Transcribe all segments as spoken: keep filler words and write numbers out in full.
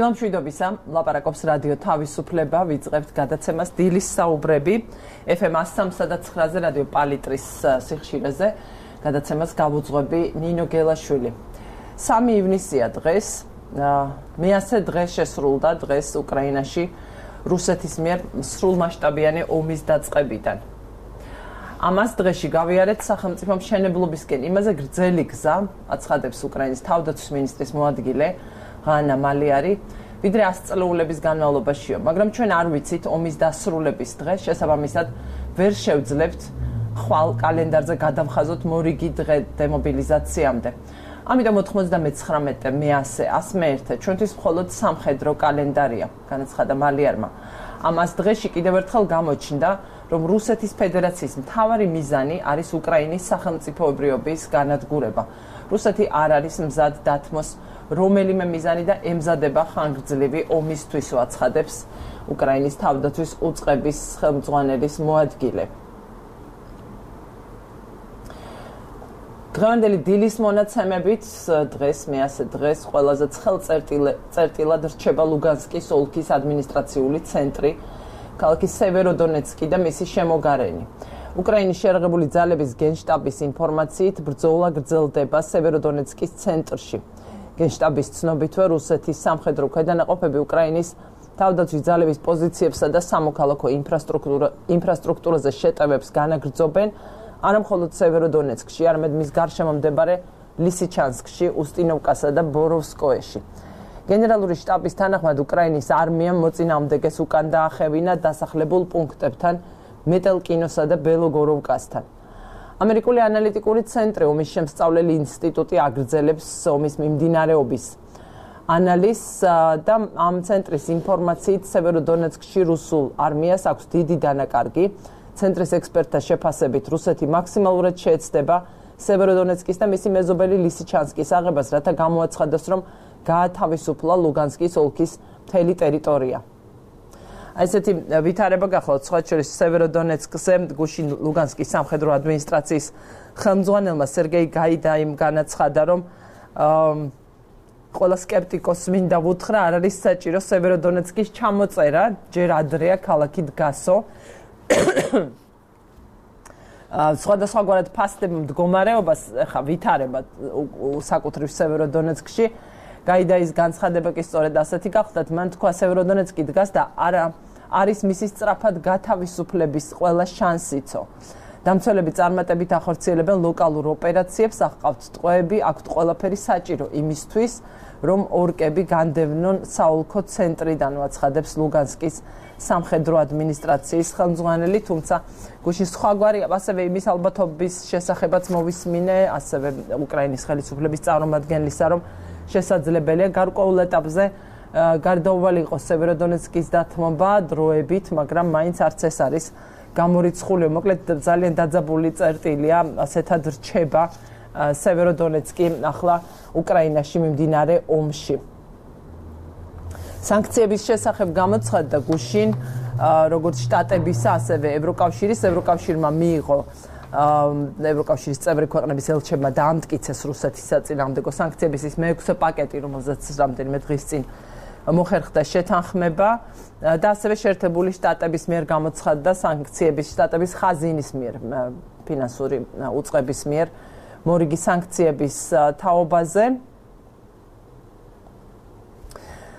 დილამშვიდობისა, ლაპარაკობს რადიო თავისუფლება, ვიწყებთ გადაცემას დილის საუბრები ეფ ემ one oh three და nine-ზე რადიო პალიტრის სიხშირეზე. გადაცემას გავუძღვები ნინო გელაშვილი. სამი ივნისია დღეს, მეათე დღე შესრულდა დღეს უკრაინაში რუსეთის მიერ სრულმასშტაბიანი ომის დაწყებიდან. ამას დღეში გავიარეთ სახელმწიფო მშენებლობისკენ. იმაზე გრძელი გზა აცხადებს უკრაინის თავდაცვის მინისტრის მოადგილე ღანა მალიარი, ვიდრე ას წლეულების განმავლობაშიო, მაგრამ ჩვენ არ ვიცით ომის დასრულების დღე, შესაბამისად ვერ შევძლებთ ხვალ კალენდარზე გადავხაზოთ მორიგი დღე დემობილიზაციამდე. ამიტომ ოთხმოცდამეცხრამეტე მეათე ასმეერთე ჩვენთვის მხოლოდ სამხედრო კალენდარია, განაცხადა მალიარმა. ამას დღეში კიდევ ერთხელ გამოჩნდა, რომ რუსეთის ფედერაციის მთავარი მიზანი არის უკრაინის სახელმწიფოებრიობის განადგურება. რუსეთი არ არის მზად დათმოს რომელიმე მიზანი და ემზადება ხანგრძლივი ომისთვის, აცხადებს უკრაინის თავდაცვის უწყების ხელმძღვანელის მოადგილე. დღევანდელი დილის მონაცემებით დღეს მეათე დღეს ყველაზე ცხელწერტილად რჩება ლუგანსკის ოლქის ადმინისტრაციული ცენტრი, ქალაქი სევეროდონეცკი და მისი შემოგარენი. უკრაინის შეერაღებული ძალების გენშტაბის ინფორმაციით ბრძოლა გრძელდება სევეროდონეცკის ცენტრში. გენშტაბის ცნობითვე რუსეთის სამხედრო ქვედანაყოფები უკრაინის თავდაცვის ძალების პოზიციებსა და სამოქალაქო ინფრასტრუქტურაზე შეტევებს განაგრძობენ, არა მხოლოდ სევეროდონეცკში, არამედ მის გარშემო მდებარე ლისიჩანსკში, უსტინოვკასა და ბოროვსკოეში. გენერალური შტაბის თანახმად უკრაინის არმიამ მოწინააღმდეგეს უკან დაახევინა დასახლებულ პუნქტებთან, მეტელკინოსა და ბელოგოროვკასთან. ამერიკული ანალიტიკური ცენტრი ომის შემსწავლელი ინსტიტუტი აგრძელებს ომის მიმდინარეობის ანალიზს და ამ ცენტრის ინფორმაციით სევეროდონეცკში რუსულ არმიას აქვს დიდი დანაკარგი. ცენტრის ექსპერტთა შეფასებით რუსეთი მაქსიმალურად შეეცდება სევეროდონეცკის და მისი მეზობელი ლისიჩანსკის აღებას, რათა გამოაცხადოს, რომ გაათავისუფლა ლუგანსკის ოლქის მთელი ტერიტორია. ესეთი ვითარება გახლავთ სხვა შორის სევეროდონეცკზე გუშინ ლუგანსკის სამხედრო ადმინისტრაციის ხელმძღვანელმა სერგეი გაიდაიმ განაცხადა, რომ ყველა სკეპტიკოსს მინდა ვუთხრა, არ არის საჭირო სევეროდონეცკის ჩამოწერა, ჯერ ადრეა ქალაქი დგასო. სხვადასხვაგვარად ფასდება მდგომარეობას, ხა ვითარება საკუთრივ სევეროდონეცკში. გაიდაის განცხადება კი სწორედ ასეთი გახლდათ, მან თქვა სევეროდონეცკი დგას და არა არის მისი სწრაფად გათავისუფლების ყველა შანსიცო. დამცველები წარმატებით ახორციელებენ ლოკალურ ოპერაციებს, აღყავთ ტყვეები, აქვთ ყველაფერი საჭირო იმისთვის, რომ ორკები განდევნონ საოლქო ცენტრიდან, აცხადებს ლუგანსკის სამხედრო ადმინისტრაციის ხელმძღვანელი, თუმცა გუშინ სხვაგვარი ასევე იმის ალბათობის შესახებაც მოვისმინე, ასევე უკრაინის ხელისუფლების წარმომადგენლისა, რომ შესაძლებელია გარკვეულ ეტაპზე გარდაუვალი იყოს სევეროდონეცკის დათმობა დროებით, მაგრამ მაინც არც ეს არის გამორიცხული. მოკლედ ძალიან დაძაბული წერტილია, ასეთად რჩება სევეროდონეცკი ახლა უკრაინაში მიმდინარე ომში. სანქციების შესახებ გამოცხადდა გუშინ როგორც შტატებისა, ასევე ევროკავშირის, ევროკავშირმა მიიღო ევროკავშირის წევრი ქვეყნების ელჩებმა დაამტკიცეს რუსეთის საწინააღმდეგო სანქციების ის მეექვსე პაკეტი, რომელზეც რამდენიმე დღის წინ მოხერხდა შეთანხმება და ასევე შეერთებული შტატების მიერ გამოცხადდა სანქციების შტატების ხაზინის მიერ ფინანსური უწყების მიერ მორიგი სანქციების თაობაზე.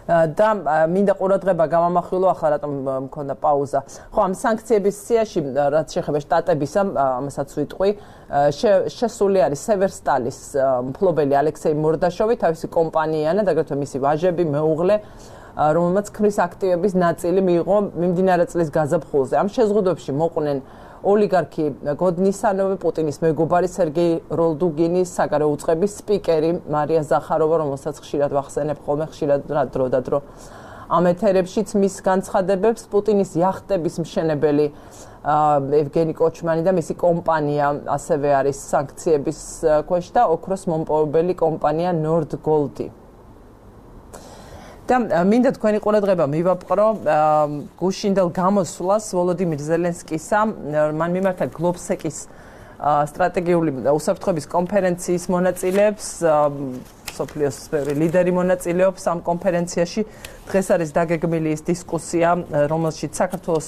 და მინდა ყურადღება გამამახვილო, ახლა რატომ მქონდა პაუზა. ხო, ამ სანქციების სიაში, რაც შეეხება შტატებისა, ამასაც ვიტყვი, შესული არის სევერსტალის მფლობელი ალექსეი მორდაშოვი, თავისი კომპანია და აგრეთვე მისი ვაჟები, მეუღლე, რომელმაც ქმრის აქტივების ნაწილი მიიღო მიმდინარე წლის გაზაფხულზე. ამ შეზღუდვებში მოყვნენ ოლიგარქი გოდნისანოვი, პუტინის მეგობარი სერგეი როლდუგინის, საგარეო უწყების სპიკერი მარია ზახაროვა, რომელსაც ხშირად ვახსენებ ხოლმე, ხშირად დრო და დრო ამ ეთერებშიც მის განცხადებებს, პუტინის იახტების მშენებელი ევგენი კოჩმანი და მისი კომპანია ასევე არის სანქციების ქვეშ და ოქროს მომპოვებელი კომპანია ნორდგოლდი. და მინდა თქვენი ყურადღება მივაპყრო გუშინდელ გამოსვლას ვოლოდიმირ ზელენსკისა, მან მიმართა გლობსეკის სტრატეგიული უსაფრთხოების კონფერენციის მონაწილეებს სოფლიოს ბევრი ლიდერი მონაწილეობს ამ კონფერენციაში. დღეს არის დაგეგმილი ის დისკუსია, რომელშიც საქართველოს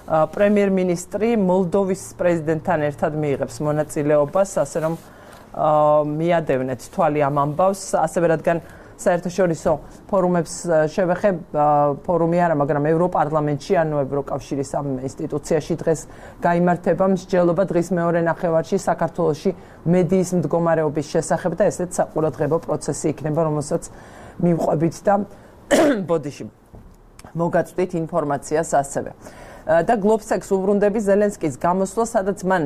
პრემიერ-მინისტრი მოლდოვის პრეზიდენტთან ერთად მიიღებს მონაწილეობას, ასე რომ მიადევნეთ თვალი ამ ამბავს, ასევე რადგან საერთაშორისო ფორუმებს შევეხებ, ფორუმი არა, მაგრამ ევროპარლამენტში, ანუ ევროკავშირის ამ ინსტიტუციაში დღეს გაიმართება მსჯელობა დღის მეორე ნახევარში საქართველოში მედიის მდგომარეობის შესახებ და ესეც საყურადღებო პროცესი იქნება, რომელსაც მივყვებით და ბოდიში მოგაწვდით ინფორმაციას ასევე. და გლობსექს უბრუნდები ზელენსკის გამოსვლა, სადაც მან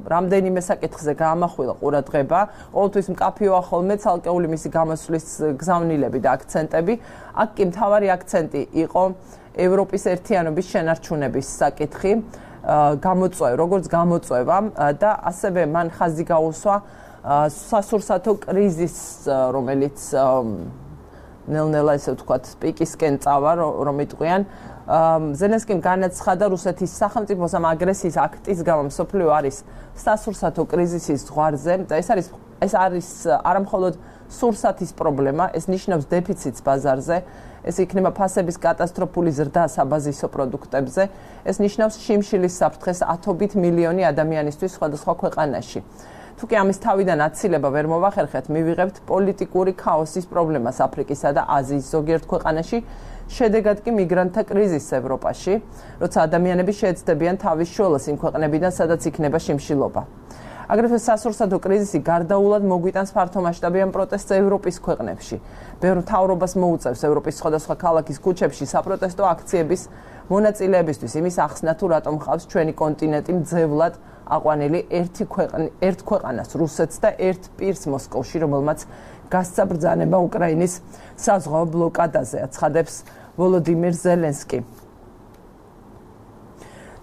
რამდენიმე საკითხზე გაამახვილა ყურადღება, ყოველთვის მკაფიოა ხოლმე ცალკეული მისი გამოსვლის გზავნილები და აქცენტები. აქ კი მთავარი აქცენტი იყო ევროპის ერთიანობის შენარჩუნების საკითხი, გამოწვევა, როგორც გამოწვევა და ასევე მან ხაზი გაუსვა სასურსათო კრიზისს, რომელიც ნელ-ნელა ესე ვთქვათ, პიკისკენ წავა, რომ იტყვიან. ზელენსკიმ განაცხადა რუსეთის სახელმწიფოს ამ აგრესიის აქტის გამო მსოფლიო არის სასურსათო კრიზისის ზღვარზე და ეს არის ეს არის არა მხოლოდ სურსათის პრობლემა, ეს ნიშნავს დეფიციტს ბაზარზე, ეს იქნება ფასების კატასტროფული ზრდა საბაზისო პროდუქტებზე, ეს ნიშნავს შიმშილის საფრთხეს ათობით მილიონი ადამიანისთვის სხვადასხვა ქვეყანაში. თუ კი ამის თავიდან აცილება ვერ მოვახერხეთ, მივიღებთ პოლიტიკური ქაოსის პრობლემას აფრიკისა და აზიის ზოგიერთ ქვეყანაში, შედეგად კი მიგრანტთა კრიზისს ევროპაში, როცა ადამიანები შეეცდებიან თავის შველას იმ ქვეყნებიდან, სადაც იქნება შიმშილობა. აგრეთვე სასურსათო კრიზისი გარდაულად მოგვიტანს ფართომასშტაბიან პროტესტს ევროპის ქვეყნებში. ბევრ მთავრობას მოუწევს ევროპის სხვადასხვა ქალაქის ქუჩებში საპროტესტო აქციების მონაწილეებისთვის იმის ახსნა, თუ რატომ ხავს ჩვენი კონტინენტი მძევლად აყვანილი ერთი ქვეყნის ერთ ქვეყანას, რუსეთს და ერთ პირს მოსკოვში, რომელმაც გასცა ბრძანება უკრაინის საზღვაო ბლოკადაზე, აცხადებს ვოლოდიმირ ზელენსკი.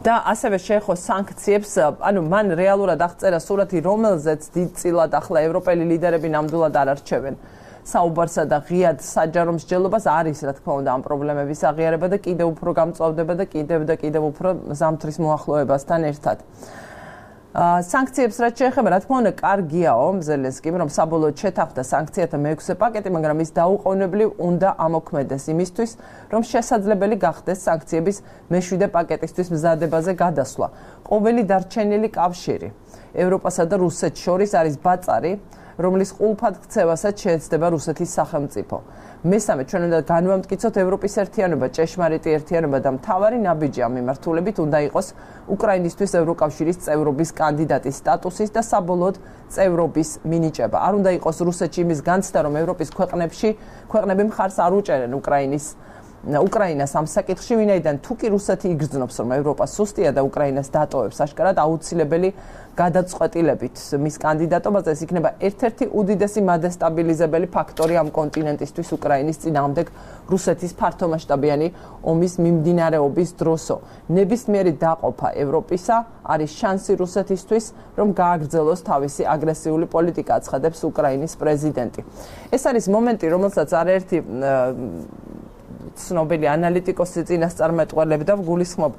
და ასევე შეეხო სანქციებს, ანუ მან რეალურად აღწერა სურათი, რომელზეც დიდწილად ახლა ევროპელი ლიდერები ნამდვილად არ არჩევენ საუბარსა და ღიად საჯარო მსჯელობას, არის რა თქმა უნდა ამ პრობლემების აღიარება და კიდევ უფრო გამწვავდება და კიდევ და კიდევ უფრო ზამთრის მოახლოებასთან ერთად. სანქციებს რაც შეეხება, რა თქმა უნდა, კარგიაო ზელენსკიმ, რომ საბოლოოდ შეთანხმდა სანქციათა მეექვსე პაკეტი, მაგრამ ის დაუყოვნებლივ უნდა ამოქმედდეს იმისთვის, რომ შესაძლებელი გახდეს სანქციების მეშვიდე პაკეტისთვის მზადებაზე გადასვლა. ყოველი დარჩენილი კავშირი ევროპასა და რუსეთს შორის არის ბაწარი, რომლის ყულფად ქცევასაც შეეცდება რუსეთის სახელმწიფო. მესამე, ჩვენ უნდა განვამტკიცოთ ევროპის ერთიანობა, ჭეშმარიტი ერთიანობა და მთავარი ნაბიჯი ამ მიმართულებით უნდა იყოს უკრაინისთვის ევროკავშირის წევრობის კანდიდატის სტატუსის და საბოლოოდ წევრობის მინიჭება. არ უნდა იყოს რუსეთში იმის განცდა, რომ ევროპის ქვეყნებში ქვეყნები მხარს არ უჭერენ უკრაინის უკრაინას ამ საკითხში, ვინაიდან თუ კი რუსეთი იგრძნობს, რომ ევროპა სუსტია და უკრაინას დატოვებს, აშკარად აუცილებელი გადაწყვეტილებით მის კანდიდატობაზე, ეს იქნება ერთ-ერთი უდიდესი მადესტაბილიზებელი ფაქტორი ამ კონტინენტისთვის უკრაინის წინააღმდეგ რუსეთის ფართომასშტაბიანი ომის მიმდინარეობის დროსო. ნებისმიერი დაყოფა ევროპისა არის შანსი რუსეთისთვის, რომ გააგრძელოს თავისი აგრესიული პოლიტიკა, აცხადებს უკრაინის პრეზიდენტი. ეს არის მომენტი, რომელსაც არაერთი ცნობილი ანალიტიკოსი წინასწარმეტყველებდა გულისხმობ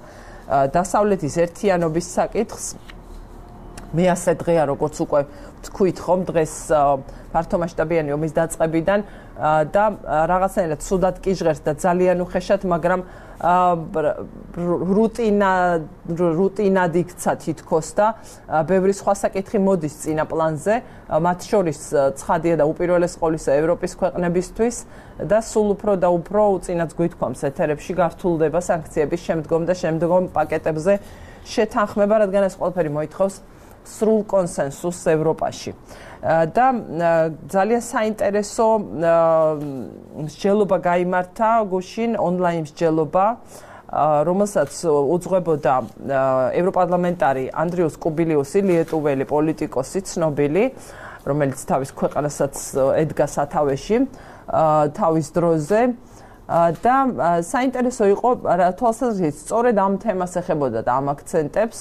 დასავლეთის ერთიანობის საკითხს. მე ასე დღეა, როგორც უკვე თქვით ხომ, დღეს ფართომასშტაბიანი ომის დაწყებიდან და რაღაცნაირად ცუდად კი ჟღერს და ძალიან უხეშად, მაგრამ რუტინა რუტინად იქცა თითქოს და ბევრი სხვა საკითხი მოდის წინა პლანზე, მათ შორის ცხადია და უპირველეს ყოვლისა ევროპის ქვეყნებისთვის და სულ უფრო და უფრო უწინაც გვითქვამს ეთერებში გართულდება სანქციების შემდგომ და შემდგომ პაკეტებზე შეთანხმება, რადგან ეს ყველაფერი მოითხოვს სრულ კონსენსუსს ევროპაში. და ძალიან საინტერესო მსჯელობა გაიმართა გუშინ, ონლაინ მსჯელობა, რომელსაც უძღვებოდა ევროპარლამენტარი ანდრიუს კუბილიუსი, ლიეტუველი პოლიტიკოსი, ცნობილი, რომელიც თავის ქვეყანასაც ედგა სათავეში თავის დროზე. და საინტერესო იყო თვალსაზრისით, სწორედ ამ თემას ეხებოდა და ამ აქცენტებს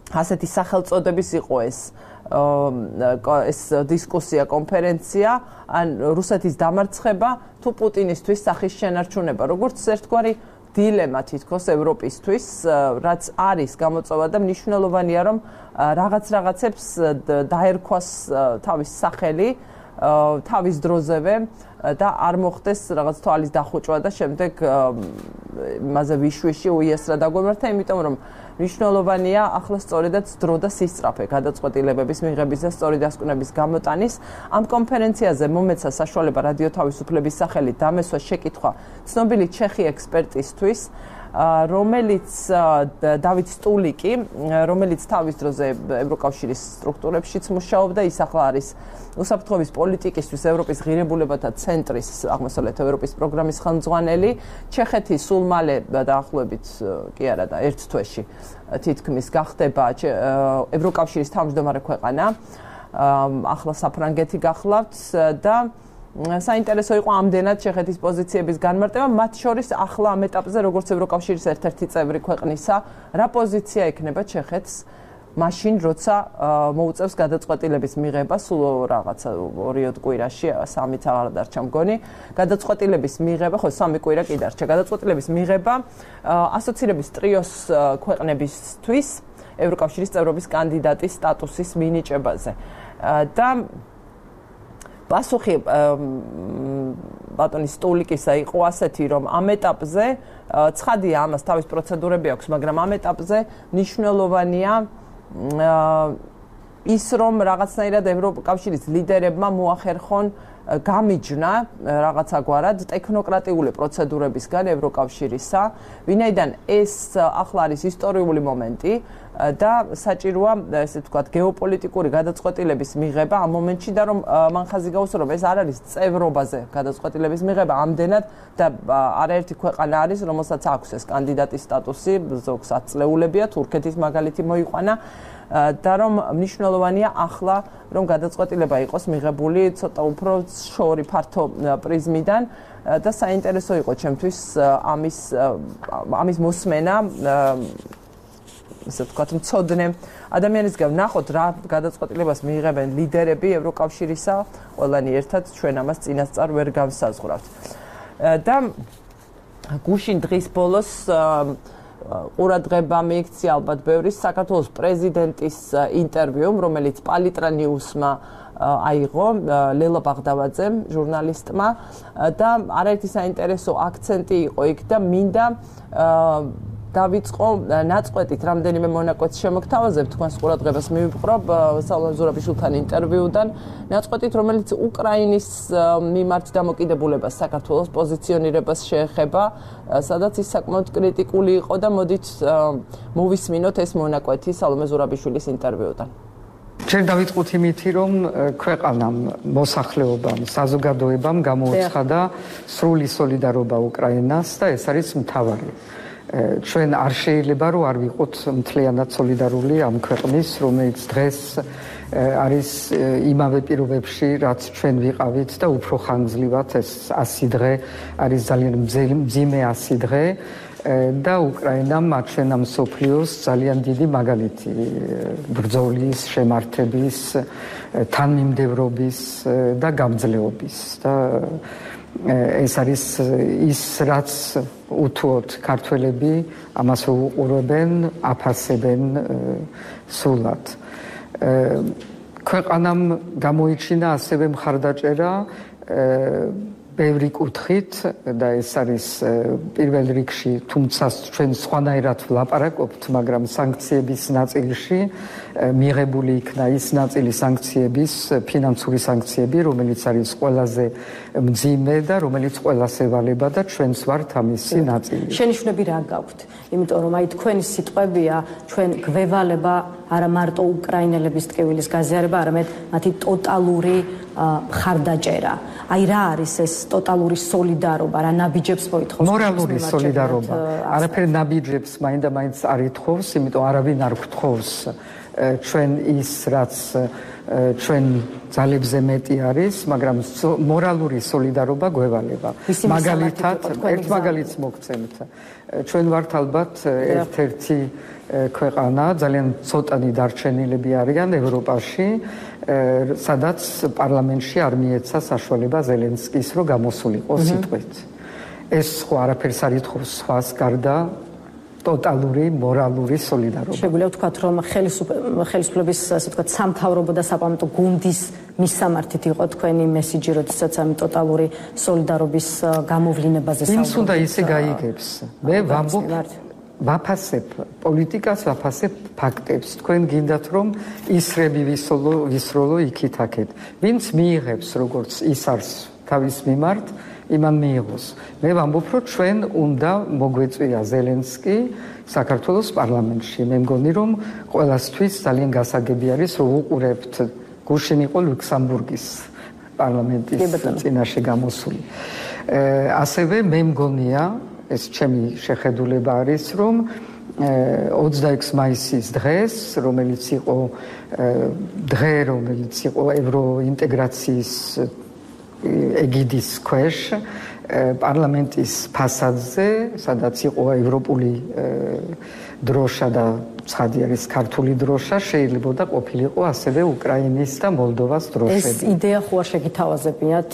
ასეთი სახელწოდების იყო ეს ეს დისკუსია, კონფერენცია, ან რუსეთის დამარცხება თუ პუტინისთვის სახის შენარჩუნება, როგორც ერთგვარი დილემა თითქოს ევროპისთვის, რაც არის გამოწვევა და მნიშვნელოვანია, რომ რაღაც რაღაცებს დაერქვას თავის სახელი თავის დროზევე და არ მოხდეს რაღაც თვალის დახუჭვა და შემდეგ მასე ვიშვიში უიესრა დაგვემართა, იმიტომ რომ მნიშვნელოვანია ახლა სწორედაც დრო და სისწრაფე გადაწყვეტილებების მიღების და სწორი დასკვნების გამოტანის. Ამ კონფერენციაზე მომეცა საშუალება რადიო თავისუფლების სახელით დამესვა შეკითხვა ცნობილი ჩეხი ექსპერტისთვის, რომელიც დავით სტულიკი, რომელიც თავის დროზე ევროკავშირის სტრუქტურებშიც მუშაობდა, ის ახლა არის უსაფრთხოების პოლიტიკისთვის ევროპის ღირებულებათა ცენტრის აღმოსავლეთ ევროპის პროგრამის ხელმძღვანელი. ჩეხეთი სულ მალე დაახლოებით კი არა და ერთ თვეში თითქმის გახდება ევროკავშირის თავმჯდომარე ქვეყანა. ახლა საფრანგეთი გახლავთ და საინტერესო იყო ამდენად ჩეხეთის პოზიციების განმარტება, მათ შორის ახლა ამ ეტაპზე როგორც ევროკავშირის ერთ-ერთი წევრი ქვეყნისა, რა პოზიცია ექნება ჩეხეთს მაშინ, როცა მოუწევს გადაწყვეტილების მიღება სულ რაღაცა ორი კვირაში, სამიც აღარ დარჩა მგონი, გადაწყვეტილების მიღება, ხო, სამი კვირა კი დარჩა, გადაწყვეტილების მიღება ასოცირების ტრიოს ქვეყნებისთვის ევროკავშირის წევრობის კანდიდატის სტატუსის მინიჭებაზე. და პასუხი ბატონის სტულიკისა იყო ასეთი, რომ ამ ეტაპზე ცხადია ამას თავის პროცედურები აქვს, მაგრამ ამ ეტაპზე მნიშვნელოვანია ის, რომ რაღაცნაირად ევროკავშირის ლიდერებმა მოახერხონ გამიჯნა რაღაცაგვარად ტექნოკრატიული პროცედურებისგან ევროკავშირისა, ვინაიდან ეს ახლა არის ისტორიული მომენტი და საჭიროა, ესე ვთქვათ, გეოპოლიტიკური გადაწყვეტილების მიღება ამ მომენტში და რომ მან ხაზი გაუსვა, რომ ეს არ არის წევრობაზე გადაწყვეტილების მიღება ამდენად და არაერთი ქვეყანა არის, რომელსაც აქვს ეს კანდიდატის სტატუსი, ზოგს ათწლეულებია, თურქეთის მაგალითი მოიყვანა და რომ მნიშვნელოვანია ახლა რომ გადაწყვეტილება იყოს მიღებული ცოტა უფრო შორი ფართო პრიზმიდან და საინტერესო იყო ჩემთვის ამის ამის მოსმენა ესე ვთქვათ მცოდნე ადამიანისგან ნახოთ რა გადაწყვეტილებას მიიღებენ ლიდერები ევროკავშირისა, ყველანი ერთად ჩვენ ამას წინასწარ ვერ გავსაზღვრავთ. და გუშინ დღის ბოლოს ყურადღება მიიქცია ალბათ ბევრის საქართველოს პრეზიდენტის ინტერვიუმ, რომელიც პალიტრა ნიუსმა აიღო ლელა ბაღდავაძემ, ჟურნალისტმა და არაერთი საინტერესო აქცენტი იყო იქ და მინდა დავიწყო ნაწყვეტით რამდენიმე მონაკვეთს შემოგთავაზებ თქვენს ყურადღებას მივიპყრობ სალომე ზურაბიშვილთან ინტერვიუდან ნაწყვეტით რომელიც უკრაინის მიმართ დამოკიდებულებას საქართველოს პოზიციონირებას შეეხება სადაც ის საკმაოდ კრიტიკული იყო და მოდით მოვისმინოთ ეს მონაკვეთი სალომე ზურაბიშვილის ინტერვიუდან ჩვენ დავიწყოთ იმითი რომ ქვეყანამ მოსახლეობამ საზოგადოებამ გამოუცხადა სრული სოლიდარობა უკრაინას და ეს არის მთავარი ჩვენ არ შეიძლება რომ არ ვიყოთ მთლიანად სოლიდარული ამ ქვეყნის რომელიც დღეს არის იმავე პირობებში რაც ჩვენ ვიყავით და უფრო ხანგრძლივად ეს ასი დღე არის ძალიან მძიმე ასი დღე და უკრაინამ აჩვენა მსოფლიოს ძალიან დიდი მაგალითი ბრძოლის, შემართების, თანმიმდევრობის და გამძლეობის და ეს არის ის რაც უთუოდ ქართველები ამას უყურებენ, აფასებენ სულად. ქვეყანამ გამოიჩინა ასევე მხარდაჭერა ბევრი კუთხით და ეს არის პირველ რიგში, თუმცა ჩვენ სხვანაირად ვლაპარაკობთ, მაგრამ სანქციების ნაწილში მიღებული იქნა ის ნაწილი სანქციების, ფინანსური სანქციები, რომელიც არის ყველაზე მძიმე და რომელიც ყველას ევალება და ჩვენც ვართ ამისი ნაწილი. შენიშვნები რა გაქვთ? იმიტომ რომ აი თქვენი სიტყვებია, ჩვენ გვევალება არა მარტო უკრაინელების ტკივილის გაზიარება, არამედ მათი ტოტალური მხარდაჭერა. აი რა არის ეს ტოტალური სოლიდარობა, რა ნაბიჯებს მოითხოვს? მორალური სოლიდარობა. არაფერ ნაბიჯებს მაინდა მაინც არ ითხოვს, იმიტომ არავინ არ გთხოვს ჩვენ ის რაც ჩვენ ძალებზე მეტი არის, მაგრამ მორალური სოლიდარობა გვევალება. მაგალითად, ერთ მაგალითს მოგცემთ. ჩვენ ვართ ალბათ ერთ-ერთი ქვეყანა, ძალიან ცოტანი დარჩენილები არიან ევროპაში, სადაც პარლამენტში არ მიეცა საშუალება ზელენსკის, რომ გამოსულიყო სიტყვით. ეს სხვა არაფერს არ ითხოვს სხვას გარდა ტოტალური მორალური სოლიდარობა. შეგვიძლია ვთქვათ, რომ ხელისუფლების ასე ვთქვათ სამთავრობო და საპარლამენტო გუნდის მისამართით იყო თქვენი მესიჯი, როდესაც ამ ტოტალური სოლიდარობის გამოვლინებაზე საუბრობთ. ვინც უნდა ისე გაიგებს. მე ვამბობ ვაფასებ პოლიტიკას, ვაფასებ ფაქტებს. თქვენ გინდათ რომ ისრები ვისროლო, ვისროლო იქით აქეთ. ვინც მიიღებს როგორც ის არის თავის მიმართ, იმან მიიღოს. მე ვამბობ რომ ჩვენ უნდა მოგვეწვია ზელენსკი საქართველოს პარლამენტში. მე მგონი რომ ყველასთვის ძალიან გასაგები არის რომ უყურებთ გუშინ იყო ლუქსემბურგის პარლამენტის წინაშე გამოსული. ასევე მე მგონია ეს ჩემი შეხედულება არის რომ ოცდაექვსი მაისის დღეს რომელიც იყო დღე რომელიც იყო ევროინტეგრაციის ეგიდის ქვეშ პარლამენტის ფასადზე სადაც იყო ევროპული დროშა და ცხადი არის ქართული დროშა შეიძლება და ყოფილიყო ასევე უკრაინის და მოლდოვას დროშები. ეს იდეა ხო არ შეგითავაზებიათ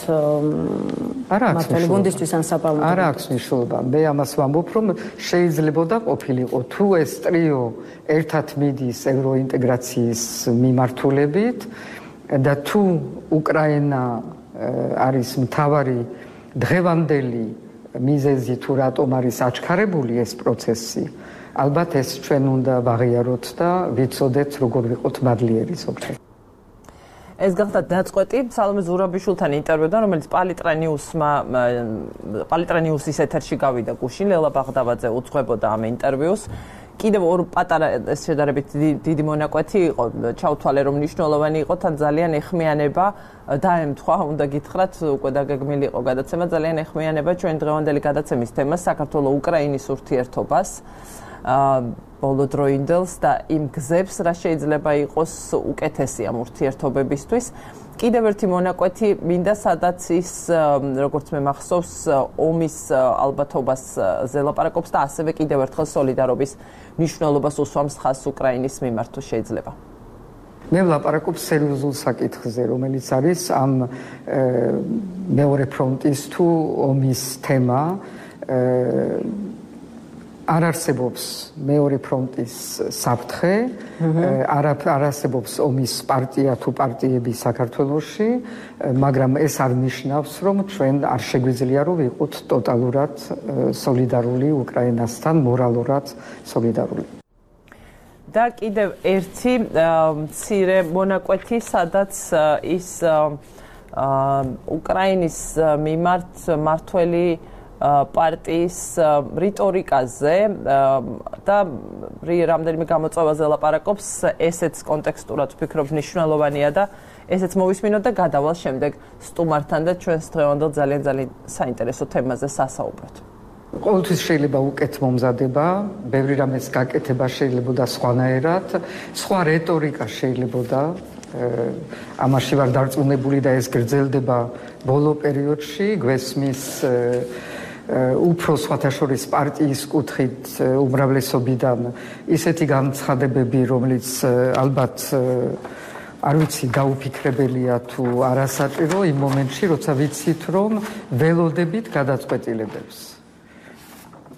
მართალი გუნდისთვის ან საპარლამენტო? არ აქვს მნიშვნელობა. მე ამას ვამბობ რომ შეიძლება და ყოფილიყო თუ ეს ტრიო ერთად მიდის ევროინტეგრაციის მიმართულებით და თუ უკრაინა არის მთავარი დღევანდელი მიზეზი თუ რატომ არის აჩქარებული ეს პროცესი ალბათ ეს ჩვენ უნდა ვაღიაროთ და ვიცოდეთ როგორ ვიყოთ მადლიერი ზოგჯერ. ეს გახდა დაწყვეტი სალომე ზურაბიშვილთან ინტერვიუდან რომელიც პალიტრა ნიუსმა პალიტრა ნიუსის ეთერში გავიდა გუშინ ლელა ბაღდავაძე უძღვებოდა ამ ინტერვიუს. კიდევ ორ პატარა ეს შედარებით დიდი მონაკვეთი იყო ჩავთვალე რომ მნიშვნელოვანი იყო თან ძალიან ეხმიანება დაემთხვა უნდა გითხრათ უკვე დაგეგმილი იყო გადაცემა ძალიან ეხმიანება ჩვენ დღევანდელი გადაცემის თემას საქართველოს უკრაინის ურთიერთობას ბოლო დროინდელს და იმ გზებს რა შეიძლება იყოს უკეთესი ამ ურთიერთობებისთვის. კიდევ ერთი მონაკვეთი მინდა სადაც ის როგორც მე მახსოვს ომის ალბათობას ზელაპარაკობს და ასევე კიდევ ერთხელ სოლიდარობის მნიშვნელობას უსვამს ხაზს უკრაინის მიმართ თუ შეიძლება. მე ვლაპარაკობ სერიოზულ საკითხზე რომელიც არის ამ მეორე ფრონტის თუ ომის თემა არ არსებობს მეორე ფრონტის საფრთხე, არ არსებობს ომის პარტია თუ პარტიები საქართველოში, მაგრამ ეს არ ნიშნავს, რომ ჩვენ არ შეგვიძლია რომ ვიყოთ ტოტალურად სოლიდარული უკრაინასთან, მორალურად სოლიდარული. და კიდევ ერთი მცირე მონაკვეთი, სადაც ის უკრაინის მიმართ მართველი პარტიის რიტორიკაზე და რამდენიმე გამოწვევაზე ლაპარაკობს, ესეც კონტექსტურად ვფიქრობ მნიშვნელოვანია და ესეც მოვისმინოთ და გადავალ შემდეგ სტუმართან და ჩვენს დღევანდელ ძალიან ძალიან საინტერესო თემაზე სასაუბროთ. ყოველთვის შეიძლება უკეთ მომზადება, ბევრი რამეს გაკეთება შეიძლება და სხვანაირად, სხვა რიტორიკა შეიძლება ამაში ვარ დარწმუნებული და ეს გრძელდება ბოლო პერიოდში, გვესმის უფრო სხვათა შორის პარტიის კუთხით უმრავლესობიდან ისეთი განცხადებები, რომელიც ალბათ არ ვიცი გაუფიქრებელია თუ არასაჭირო იმ მომენტში, როცა ვიცით, რომ ველოდებით გადაწყვეტილებებს.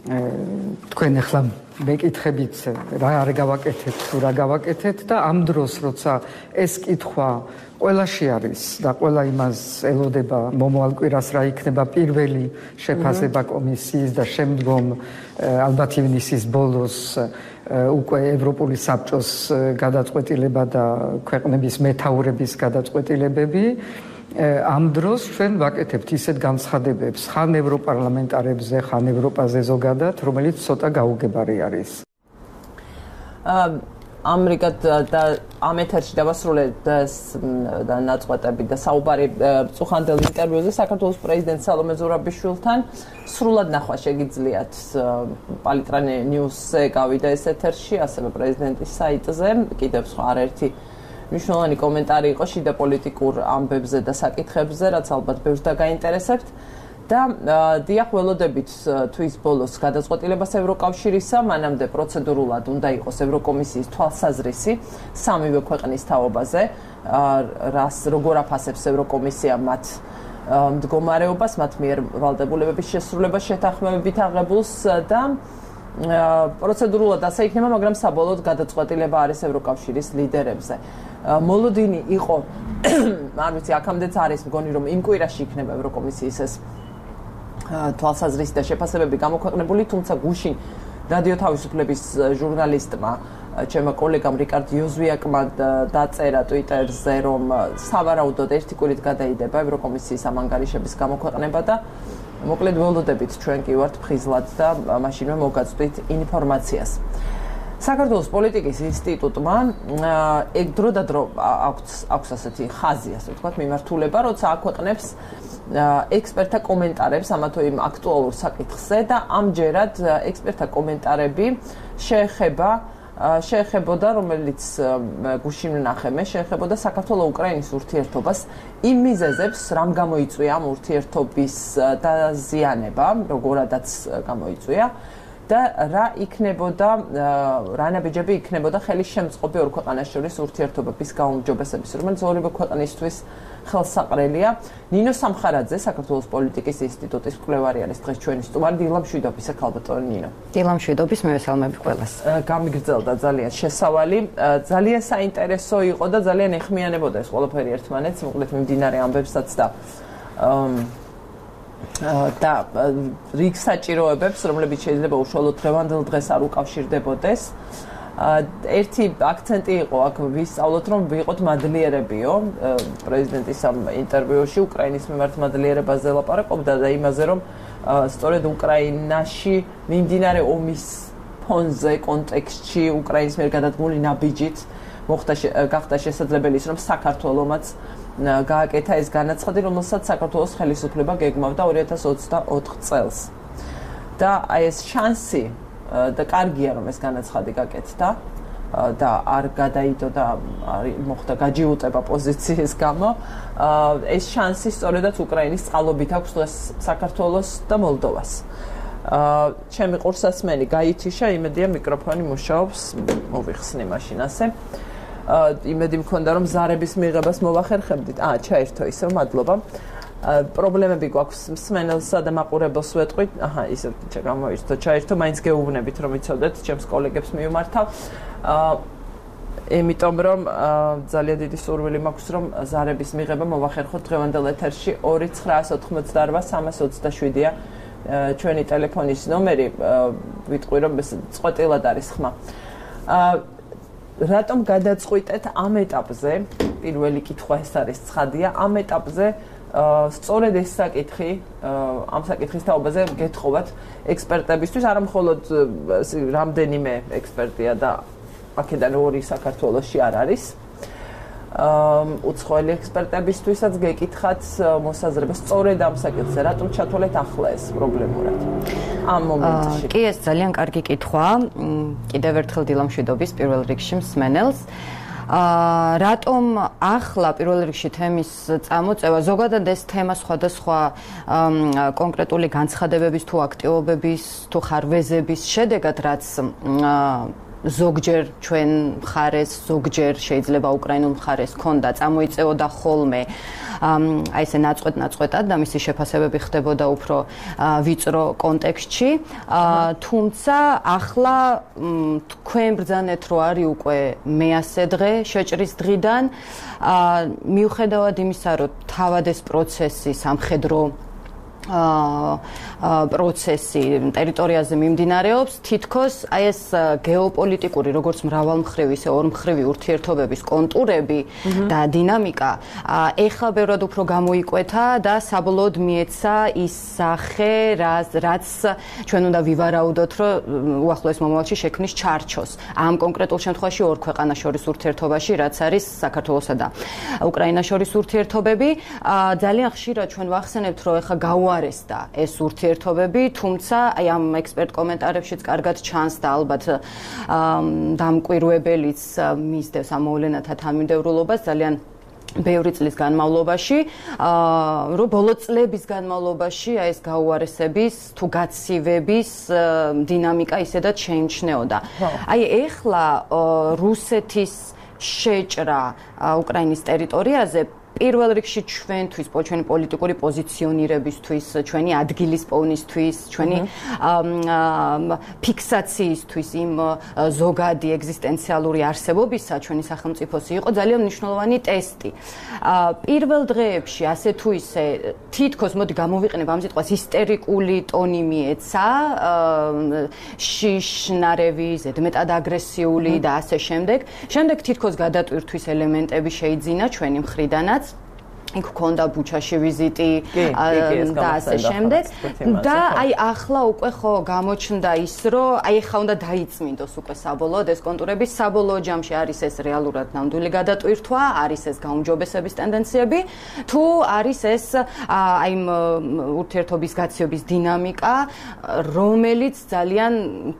თქვენ ახლა მეკითხებით რა არ გავაკეთეთ თუ რა გავაკეთეთ და ამ დროს როცა ეს კითხვა ყველაში არის და ყველა იმას ელოდება მომავალ კვირას რა იქნება პირველი შეფასება კომისიის და შემდგომ ალბათ ივნისის ბოლოს უკვე ევროპული საბჭოს გადაწყვეტილება და ქვეყნების მეთაურების გადაწყვეტილებები ამ დროს ჩვენ ვაკეთებთ ისეთ განცხადებებს ხან ევროპარლამენტარებზე, ხან ევროპაზე ზოგადად, რომელიც ცოტა გაუგებარი არის. ამრიგად და ამ ეთერში დავასრულეთ და ნაწყვეტები და საუბარი წუხანდელ ინტერვიუზე საქართველოს პრეზიდენტ სალომე ზურაბიშვილთან. სრულად ნახვა შეგიძლიათ პალიტრა ნიუსზე გავიდა ეს ეთერში, ასევე პრეზიდენტის საიტზე, კიდევ სხვა არაერთი მნიშვნელოვანი კომენტარი იყო შიდა პოლიტიკურ ამბებზე და საკითხებზე, რაც ალბათ ბევრს დაგაინტერესებთ. და დიახ ველოდებით თვის ბოლოს გადაწყვეტილებას ევროკავშირისა, მანამდე პროცედურულად უნდა იყოს ევროკომისიის თვალსაზრისი სამივე ქვეყნის თაობაზე, რას როგორ აფასებს ევროკომისია მათ მდგომარეობას, მათ მიერ ვალდებულებების შესრულებას შეთანხმებით აღებულს და პროცედურულად ასე იქნება, მაგრამ საბოლოოდ გადაწყვეტილება არის ევროკავშირის ლიდერებზე. მოლოდინი იყო, არ ვიცი, აქამდეც არის მგონი, რომ იმ კვირაში იქნება ევროკომისიის ეს თვალსაზრისი და შეფასებები გამოქვეყნებული, თუმცა გუშინ რადიო თავისუფლების ჟურნალისტმა, ჩემო კოლეგამ რიკარდ იოზვიაკმა დაწერა ტვიტერზე, რომ სავარაუდოდ ერთი კვირით გადაიდება ევროკომისიის ამ ანგარიშების გამოქვეყნება და მოკლედ ველოდებით ჩვენ კი ვართ ფხიზლად და მაშინვე მოგაწვდით ინფორმაციას. საქართველოს პოლიტიკის ინსტიტუტმა ეგ დრო და დრო აქვს აქვს ასეთი ხაზი, ასე ვთქვათ, მიმართულება, როცა აქვეყნებს ექსპერტთა კომენტარებს ამა თუ იმ აქტუალურ საკითხზე და ამჯერად ექსპერტთა კომენტარები შეეხება შეეხებოდა, რომელიც გუშინ ვნახე მე, შეეხებოდა საქართველოს-უკრაინის ურთიერთობას, იმ მიზეზებს, რამ გამოიწვია ამ ურთიერთობის დაზიანება, როგორადაც გამოიწვია და რა იქნებოდა, რა ნაბიჯები იქნებოდა ხელის შემწყობი ორ ქვეყანას შორის ურთიერთობების გაუმჯობესების, რომელიც ორივე ქვეყნისთვის ხელსაყრელია. ნინო სამხარაძე, საქართველოს პოლიტიკის ინსტიტუტის მკვლევარი არის დღეს ჩვენი სტუმარი. დილამ შვიდობის, ქალბატონი ნინო. დილამ შვიდობის, მევესალმები ყველას. გამიგრძელდა ძალიან შესავალი, ძალიან საინტერესო იყო და ძალიან ეხმიანებოდა ეს ყველაფერი ერთმანეთს, მოკლედ მიმდინარე ამბებსაც და და რიგ საჭიროებებს, რომლებიც შეიძლება უშუალოდ დღევანდელ დღეს არ უკავშირდებოდეს. ერთი აქცენტი იყო აქ ვისწავლოთ, რომ ვიყოთ მადლიერებიო. პრეზიდენტის ამ ინტერვიუში უკრაინის მიმართ მადლიერებაზე ლაპარაკობდა და იმაზე, რომ სწორედ უკრაინაში მიმდინარე ომის ფონზე, კონტექსტში, უკრაინის მიერ გადადგმული ნაბიჯით მოხდა გახდა შესაძლებელი ის, რომ საქართველომაც გააკეთა ეს განაცხადი, რომელსაც საქართველოს ხელისუფლება გეგმავდა ორი ათას ოცდაოთხ წელს. და აი ეს შანსი და კარგია, რომ ეს განაცხადი გაკეთდა და არ გადაიდო და არ მოხდა გაჯიუტება პოზიციის გამო. ეს შანსი სწორედაც უკრაინის წყალობით აქვს დღეს საქართველოს და მოლდოვას. ჩემი ყურსასმენი გაითიშა, იმედია მიკროფონი მუშაობს, მოვიხსნი მაშინ ასე. იმედი მქონდა, რომ ზარების მიღებას მოვახერხებდით. აა, ჩაერთო ისევ, მადლობა. პრობლემები გვაქვს მსმენელსა და მაყურებელს ვეტყვით. აჰა, ისე გამოირთო, ჩაერთო, მაინც გეუბნებით, რომ იცოდეთ, ჩემს კოლეგებს მივმართავ. აა, იმიტომ რომ ძალიან დიდი სურვილი მაქვს, რომ ზარების მიღება მოვახერხოთ დღევანდელ ეთერში ორი ცხრაას ოთხმოცდაორვა სამას ოცდაშვიდია ჩვენი ტელეფონის ნომერი. ვიტყვი, რომ ეს წყვეტილად არის ხმა. აა რატომ გადაწყვიტეთ ამ ეტაპზე, პირველი კითხვა ეს არის ცხადია, ამ ეტაპზე სწორედ ეს საკითხი, ამ საკითხის თაობაზე გეთხოვათ ექსპერტებისთვის, არა მხოლოდ რამდენიმე ექსპერტია და აქედან ორი საქართველოში არ არის. უცხოელი ექსპერტებისთვისაც გეკითხათ მოსაზრებას სწორედ ამ საკითხზე, რატომ ჩათვალეთ ახლა ეს პრობლემურად ამ მომენტში. კი, ეს ძალიან კარგი კითხვაა. კიდევ ერთხელ დილამ შვიდობის პირველ რიგში მსმენელს. აა რატომ ახლა პირველ რიგში თემის წამოწევა, ზოგადად ეს თემა სხვადასხვა კონკრეტული განცხადებების თუ აქტივობების თუ ხარვეზების შედეგად, რაც ზოგჯერ ჩვენ მხარეს, ზოგჯერ შეიძლება უკრაინულ მხარეს ქონდა, წამოიწეოდა ხოლმე აი ესე ნაწყვეტ-ნაწყვეტად და მისი შეფასებები ხდებოდა უფრო ვიწრო კონტექსტში. თუმცა ახლა თქვენ ბრძანეთ, რომ არის უკვე მეასე დღე შეჭრის დღიდან, მიუხედავად იმისა, რომ თავად ეს პროცესი სამხედრო პროცესი ტერიტორიაზე მიმდინარეობს, თითქოს აი ეს გეოპოლიტიკური, როგორც მრავალმხრივი, ისე ორმხრივი ურთიერთობების კონტურები და დინამიკა ეხლა ბევრად უფრო გამოიკვეთა და საბოლოოდ მიეცა ის სახე, რაც ჩვენ უნდა ვივარაუდოთ, რომ უახლოეს მომავალში შექმნის ჩარჩოს. ამ კონკრეტულ შემთხვევაში ორ ქვეყანას შორის ურთიერთობაში, რაც არის საქართველოსა და უკრაინას შორის ურთიერთობები, ძალიან ხშირად ჩვენ ვახსენებთ, რომ ეხლა გაუარესდა ეს ურთიერთობები, თუმცა აი ამ ექსპერტ კომენტარებშიც კარგად ჩანს და ალბათ დამკვირვებელიც მისდევს ამ მოვლენათა თანმიმდევრულობას ძალიან ბევრი წლის განმავლობაში, რომ ბოლო წლების განმავლობაში აი ეს გაუარესების თუ გაცივების დინამიკა ისედაც შეიმჩნეოდა. აი ეხლა რუსეთის შეჭრა უკრაინის ტერიტორიაზე პირველ რიგში ჩვენთვის, ჩვენი პოლიტიკური პოზიციონირებისთვის, ჩვენი ადგილის პოვნისთვის, ჩვენი ფიქსაციისთვის იმ ზოგადი ეგზისტენციალური არსებობისა ჩვენი სახელმწიფოსი იყო ძალიან მნიშვნელოვანი ტესტი. პირველ დღეებში ასე თუ ისე თითქოს მოდი გამოვიყენებ ამ სიტყვას ისტერიკული ტონი მიეცა, შიშნარევი, ზედმეტად აგრესიული და ასე შემდეგ. შემდეგ თითქოს გადატვირთვის ელემენტები შეიძინა ჩვენი მხრიდანაც. იქ ქონდა ბუჩაში ვიზიტი და ასე შემდეგ და აი ახლა უკვე ხო გამოჩნდა ის რომ აი ახლა უნდა დაიწმინდოს უკვე საბოლოოდ ეს კონტურები საბოლოო ჯამში არის ეს რეალურად ნამდვილი გადატვირთვა არის ეს გაუმჯობესების ტენდენციები თუ არის ეს აი ურთიერთობის გაცივების დინამიკა რომელიც ძალიან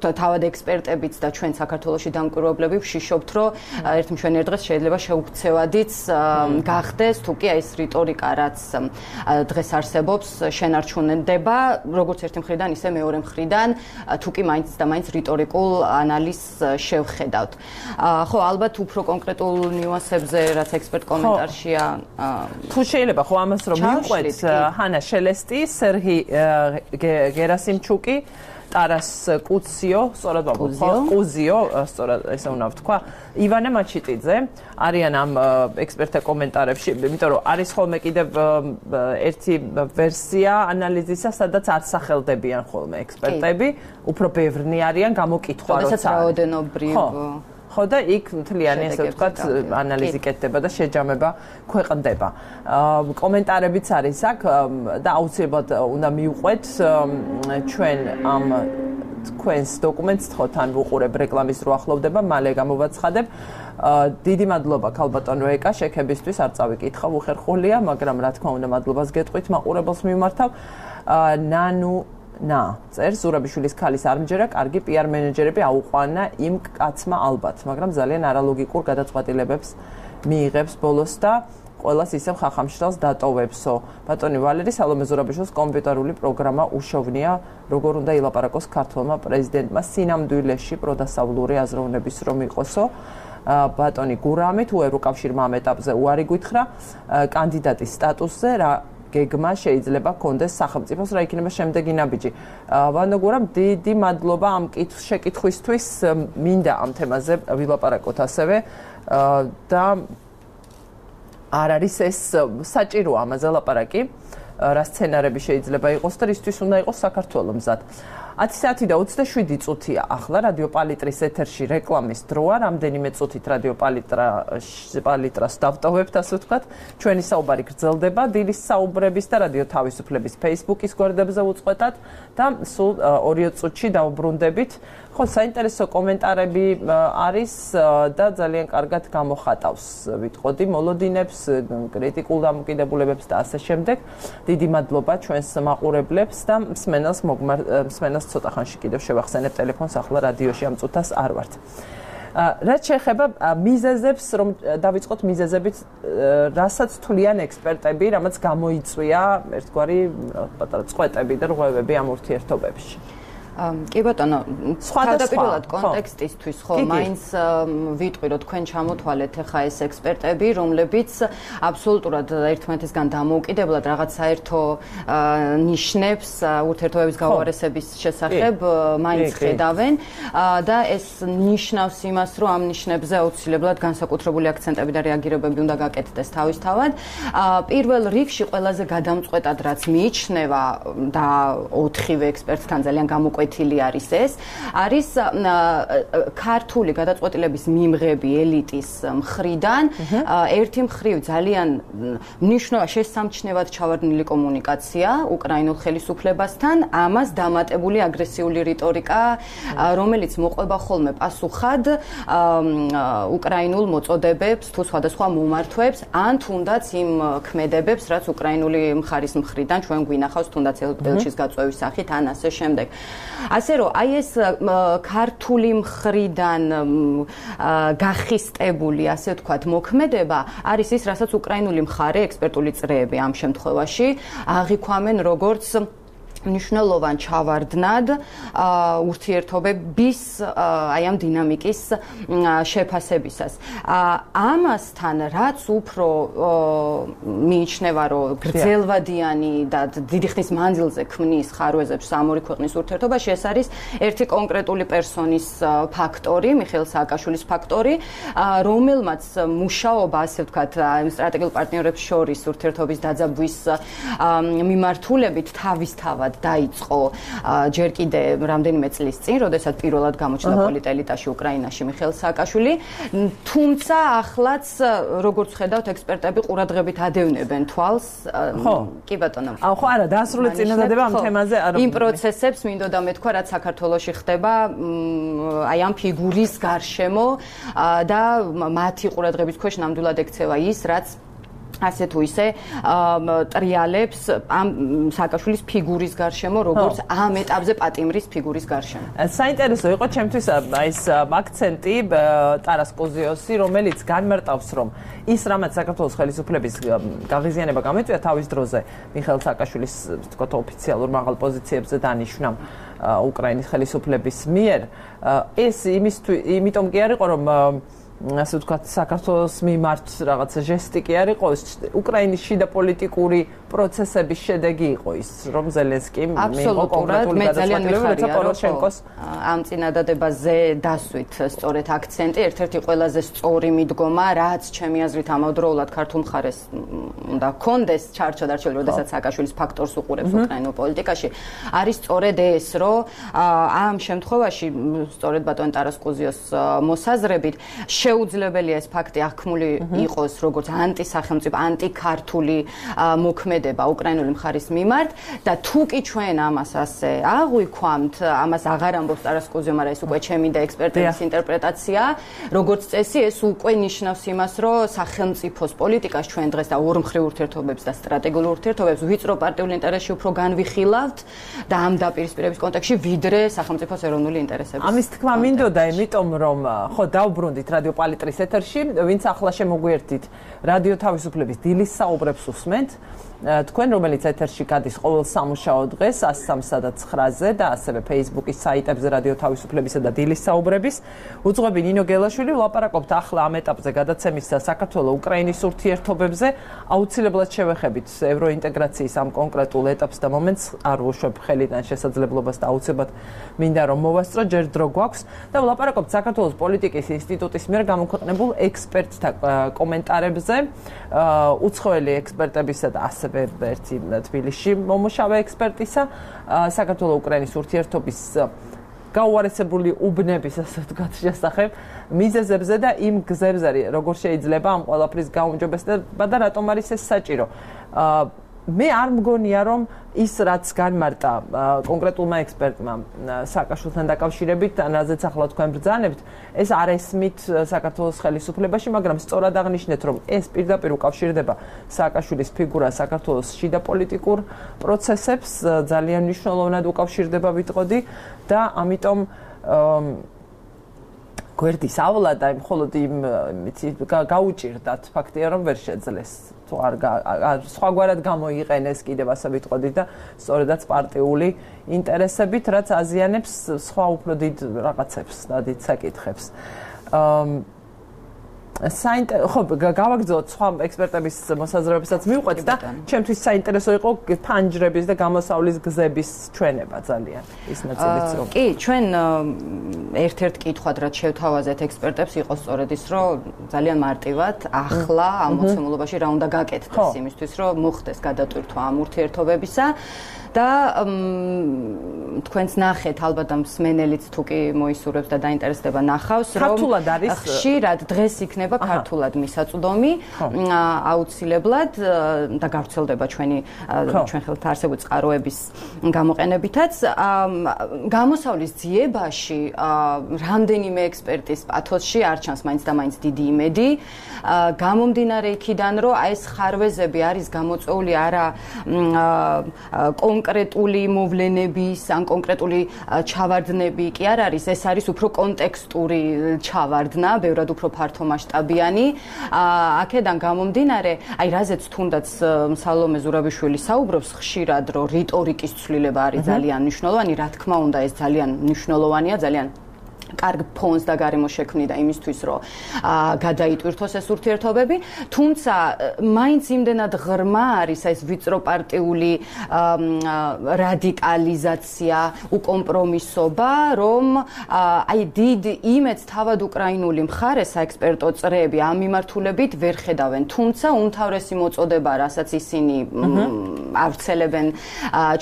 თავად ექსპერტებიც და ჩვენ საქართველოში დამკვირვებლები ვშიშობთ რომ ერთ მშვენიერ დღეს შეიძლება შეუქცევადიც გახდეს თუ კი აი ეს რიტორიკა რაც დღეს არსებობს შენარჩუნდება როგორც ერთი მხრიდან ისე მეორე მხრიდან თუ კი მაინც და მაინც რიტორიკულ ანალიზს შევხედავთ. ხო ალბათ უფრო კონკრეტულ ნიუანსებზე რაც ექსპერტ კომენტარშია თუ შეიძლება ხო ამას რომ მივყვეთ ჰანა შელესტი, სერგი გერასიმჩუკი ტარას კუციო, სწორად ვაბობ, კუზიო, სწორად ესე უნდა ვთქვა, ივანე მაჩიტიძე არიან ამ ექსპერტთა კომენტარებში, იმიტომ რომ არის ხოლმე კიდევ ერთი ვერსია ანალიზისა, სადაც არ სახელდებიან ხოლმე ექსპერტები, უფრო ბევრნი არიან გამოკითხვა როცა. როდესაც რაოდენობრივ ხო და იქ მთლიანი ესე ვთქვათ ანალიზი კეთდება და შეჯამება ქვეყნდება. კომენტარებიც არის აქ და აუცილებლად უნდა მივყვეთ ჩვენ ამ თქვენს დოკუმენტს თხოთ ან ვუყურებ რეკლამის რო ახლოვდება, მალე გამოვაცხადებ. დიდი მადლობა ქალბატონო ეკა შექებისთვის, არ წავიკითხავ, უხერხულია, მაგრამ რა თქმა უნდა მადლობას გეტყვით მაყურებელს მიმართავ. ნანუ ნა, წერს ზურაბიშვილის ქალის არმჯერა, კარგი პიარ მენეჯერები აუყვანა იმ კაცმა ალბათ, მაგრამ ძალიან არალოგიკურ გადაწყვეტილებებს მიიღებს ბოლოს და ყველას ისევ ხახამშრალს დატოვებსო. ბატონი ვალერი სალომე ზურაბიშვილის კომპიუტერული პროგრამა უშოვნია, როგორ უნდა ილაპარაკოს ქართველმა პრეზიდენტმა სინამდვილეში პროდასავლური აზროვნების რომ იყოსო. ბატონი გურამი თუ ევროკავშირმა ამ ეტაპზე უარი გითხრა კანდიდატის სტატუსზე რა გეგმა შეიძლება კონდეს სახელმწიფოს რა იქნება შემდეგი ნაბიჯი. ბატონო გურამ დიდი მადლობა ამ შეკითხვისთვის, მინდა ამ თემაზე ვილაპარაკოთ ასევე და არ არის ეს საჭირო ამაზე ლაპარაკი, რა სცენარები შეიძლება იყოს და რისთვის უნდა იყოს საქართველოს მზად. ათი საათი და ოცდაშვიდი წუთია ახლა რადიო პალიტრის ეთერში რეკლამის დროა, რამდენიმე წუთით რადიო პალიტრა პალიტრას დავტოვებთ, ასე ვთქვათ. ჩვენი საუბარი გრძელდება დილის საუბრების და რადიო თავისუფლების Facebook-ის გვერდებზე უწყვეტად და სულ ორი წუთში დავბრუნდებით. ხო, საინტერესო კომენტარები არის და ძალიან კარგად გამოხატავს, ვიტყოდი, მოლოდინებს, კრიტიკულ დამოკიდებულებებს და ასე შემდეგ. დიდი მადლობა ჩვენს მაყურებლებს და მსმენელს მოგმარ მსმენელს ცოტა ხანში კიდევ შევახსენებ ტელეფონს, ახლა რადიოში ამ წუთას არ ვართ. რაც შეეხება მიზეზებს, რომ დავიწყოთ მიზეზებით, რასაც თვლიან ექსპერტები, რამაც გამოიწვია ერთგვარი პატარა წყვეტები და რღვევები ამ ურთიერთობებში. კი ბატონო, თავდაპირველად კონტექსტისთვის ხო, მაინც ვიტყვი რომ თქვენ ჩამოთვალეთ ახლა ეს ექსპერტები, რომლებიც აბსოლუტურად ერთმანეთისგან დამოუკიდებლად რაღაც საერთო ნიშნებს ურთიერთობების გაუარესების შესახებ მაინც ხედავენ და ეს ნიშნავს იმას, რომ ამ ნიშნებზე აუცილებლად განსაკუთრებული აქცენტები და რეაგირებები უნდა გაკეთდეს თავისთავად. პირველ რიგში ყველაზე გადამწყვეტად რაც მიიჩნევა და ოთხივე ექსპერტთან ძალიან გამოკვეთილი არის ეს, არის ქართული გადაწყვეტილების მიმღები ელიტის მხრიდან ერთი მხრივ ძალიან მნიშვნელოვანი შესამჩნევად ჩავარდნილი კომუნიკაცია უკრაინულ ხელისუფლებასთან, ამას დამატებული აგრესიული რიტორიკა, რომელიც მოყვება ხოლმე პასუხად უკრაინულ მოწოდებებს თუ სხვადასხვა მომართვებს, ან თუნდაც იმ ქმედებებს, რაც უკრაინული მხარის მხრიდან ჩვენ გვინახავს თუნდაც ელჩის გაწვევის სახით ან ასე შემდეგ. ასე რომ აი ეს ქართული მხრიდან გახისტებული, ასე ვთქვათ, მოქმედება არის ის, რასაც უკრაინული მხარე, ექსპერტული წრეები ამ შემთხვევაში აღიქვამენ როგორც მნიშვნელოვან ჩავარდნად ურთიერთობების აი ამ დინამიკის შეფასებისას. ამასთან რაც უფრო მიიჩნევა, რომ გრძელვადიანი და დიდი ხნის მანძილზე ქმნის ხარვეზებს ამ ორი ქვეყნის ურთიერთობაში, ეს არის ერთი კონკრეტული პერსონის ფაქტორი, მიხეილ სააკაშვილის ფაქტორი, რომელმაც მუშაობა, ასე ვთქვათ, სტრატეგიულ პარტნიორებს შორის ურთიერთობის დაძაბვის მიმართულებით თავისთავად დაიწყო ჯერ კიდე რამდენიმე წლის წინ, როდესაც პირველად გამოჩნდა პოლიტელიტაში უკრაინაში მიხეილ სააკაშვილი, თუმცა ახლაც როგორც ხედავთ ექსპერტები ყურადღებით ადევნებენ თვალს. კი ბატონო. აუ ხო არა, დასრული წინადადება ამ თემაზე არ იმ პროცესებს მინდოდა მეთქვა, რაც საქართველოში ხდება აი ამ ფიგურის გარშემო და მათი ყურადღების ქვეშ ნამდვილად ექცევა ის, რაც ასე თუ ისე ტრიალებს ამ სააკაშვილის ფიგურის გარშემო, როგორც ამ ეტაპზე პატიმრის ფიგურის გარშემო. საინტერესო იყო ჩემთვის ეს აქცენტი ტარას კოზიოსი, რომელიც განმარტავს, რომ ის რამაც საქართველოს ხელისუფლების გაღიზიანება გამოიწვია თავის დროზე მიხეილ სააკაშვილის თქო ოფიციალურ მაღალ პოზიციებზე დანიშვნამ უკრაინის ხელისუფლების მიერ, ეს იმიტომ კი არ იყო, რომ ასე ვთქვათ, საქართველოს მიმართ რაღაცა ჟესტი კი არ იყო, უკრაინის შიდა პოლიტიკური პროცესების შედეგი იყო ის, რომ ზელენსკიმ მიიღო კონკრეტული გადაწყვეტილება, როცა პოროშენკოს ამ წინადადებაზე დასვით სწორედ აქცენტი, ერთ-ერთი ყველაზე სწორი მიდგომა, რაც ჩემი აზრით ამავდროულად ქართულ მხარეს უნდა ჰქონდეს ჩარჩოდ არჩეული, როდესაც სააკაშვილის ფაქტორს უყურებს უკრაინულ პოლიტიკაში, არის სწორედ ეს, რომ ამ შემთხვევაში სწორედ ბატონ ტარას კოზიოს მოსაზრებით შეუძლებელია ეს ფაქტი აღქმული იყოს როგორც ანტისახელმწიფო, ანტიქართული მოქმედება უკრაინული მხარის მიმართ და თუ კი ჩვენ ამას ასე აღვიქვამთ, ამას აღარ ამბობს ტარას კოზიო, მაგრამ ეს უკვე ჩემი და ექსპერტების ინტერპრეტაცია, როგორც წესი ეს უკვე ნიშნავს იმას, რომ სახელმწიფოს პოლიტიკას ჩვენ დღეს და ორმხრივ ურთიერთობებს და სტრატეგიულ ურთიერთობებს ვიწრო პარტიულ ინტერესში უფრო განვიხილავთ და ამ დაპირისპირების კონტექსტში ვიდრე სახელმწიფოს ეროვნული ინტერესების. ამის თქმა მინდოდა, იმიტომ რომ ხო დავბრუნდით რადიო პალიტრის ეთერში, ვინც ახლა შემოგვიერთით რადიო თავისუფლების დილის საუბრებს უსმენთ, თქვენ რომელიც ეთერში გადის ყოველ სამუშაო დღეს ას სამსა და ცხრაზე და ასევე Facebook-ის საიტებზე რადიო თავისუფლებისა და დილის საუბრების, უძღვები ნინო გელაშვილი, ვლაპარაკობთ ახლა ამ ეტაპზე გადაცემის საქართველო-უკრაინის ურთიერთობებზე, აუცილებლად შევეხებით ევროინტეგრაციის ამ კონკრეტულ ეტაპს და მომენტს, არ ვუშვებ ხელიდან შესაძლებლობას და აუცილებლად მინდა რომ მოვასწრო, ჯერ დრო გვაქვს და ვლაპარაკობთ საქართველოს პოლიტიკის ინსტიტუტის მიერ გამოქვეყნებულ ექსპერტთა კომენტარებზე, უცხოელი ექსპერტებისა და ასევე ერთი თბილისში მომუშავე ექსპერტისა, საქართველო-უკრაინის ურთიერთობის გაუარესებული უბნების, ასე ვთქვათ, შესახებ მიზეზებზე და იმ გზებზე, როგორ შეიძლება ამ ყველაფრის გაუმჯობესება და რატომ არის ეს საჭირო. მე არ მგონია, რომ ის რაც განმარტა კონკრეტულმა ექსპერტმა სააკაშვილთან დაკავშირებით, რაზეც ახლა თქვენ ბრძანებთ, ეს არ ესმით საქართველოს ხელისუფლებაში, მაგრამ სწორად აღნიშნეთ, რომ ეს პირდაპირ უკავშირდება სააკაშვილის ფიგურა საქართველოს შიდა პოლიტიკურ პროცესებს, ძალიან მნიშვნელოვნად უკავშირდება ვიტყოდი და ამიტომ გვერდის ავლა და მხოლოდ იმ გაუჭირდათ ფაქტია, რომ ვერ შეძლეს თუ არ სხვაგვარად გამოიყენეს კიდევ ასე ვიტყოდი და სწორედაც პარტიული ინტერესებით, რაც აზიანებს სხვა უფრო დიდ რაღაცებს და დიდ საკითხებს. ხო, გავაგრძელოთ სხვა ექსპერტების მოსაზრებებსაც მივყვეთ და ჩემთვის საინტერესო იყო ფანჯრების და გამოსავლის გზების ჩვენება ძალიან ის ნაწილიც რომ კი, ჩვენ ერთ-ერთ კითხვად რაც შევთავაზეთ ექსპერტებს იყო სწორედ ის, რომ ძალიან მარტივად ახლა ამ მოცემულობაში რა უნდა გაკეთდეს იმისთვის, რომ მოხდეს გადატვირთვა ამ ურთიერთობებისა და თქვენც ნახეთ ალბათ ამ მსმენელიც თუ კი მოისურვებს და დაინტერესდება ნახავს, რომ ხშირად დღეს იქნება ქართულად მისაწვდომი, აუცილებლად და გავრცელდება ჩვენი ჩვენ ხელთ არსებული წყაროების გამოყენებითაც. გამოსავლის ძიებაში რამდენიმე ექსპერტის პათოსში არ ჩანს მაინც და მაინც დიდი იმედი. გამომდინარე იქიდან, რომ აი ეს ხარვეზები არის გამოწვეული არა კონკრეტული მოვლენების ან კონკრეტული ჩავარდნები კი არ არის, ეს არის უფრო კონტექსტური ჩავარდნა, ბევრად უფრო ფართომასშტაბიანი. აქედან გამომდინარე, აი რაზეც თუნდაც სალომე ზურაბიშვილი საუბრობს ხშირად, რომ რიტორიკის ცვლილება არის ძალიან მნიშვნელოვანი, რა თქმა უნდა, ეს ძალიან მნიშვნელოვანია, ძალიან კარგ ფონს და გარემოს შექმნიდა იმისთვის, რომ გადაიტვირთოს ეს ურთიერთობები, თუმცა მაინც იმდენად ღრმა არის ეს ვიწროპარტიული რადიკალიზაცია, უკომპრომისობა, რომ აი დიდ იმედს თავად უკრაინული მხარე საექსპერტო წრეები ამ მიმართულებით ვერ ხედავენ, თუმცა უმთავრესი მოწოდება, რასაც ისინი ავრცელებენ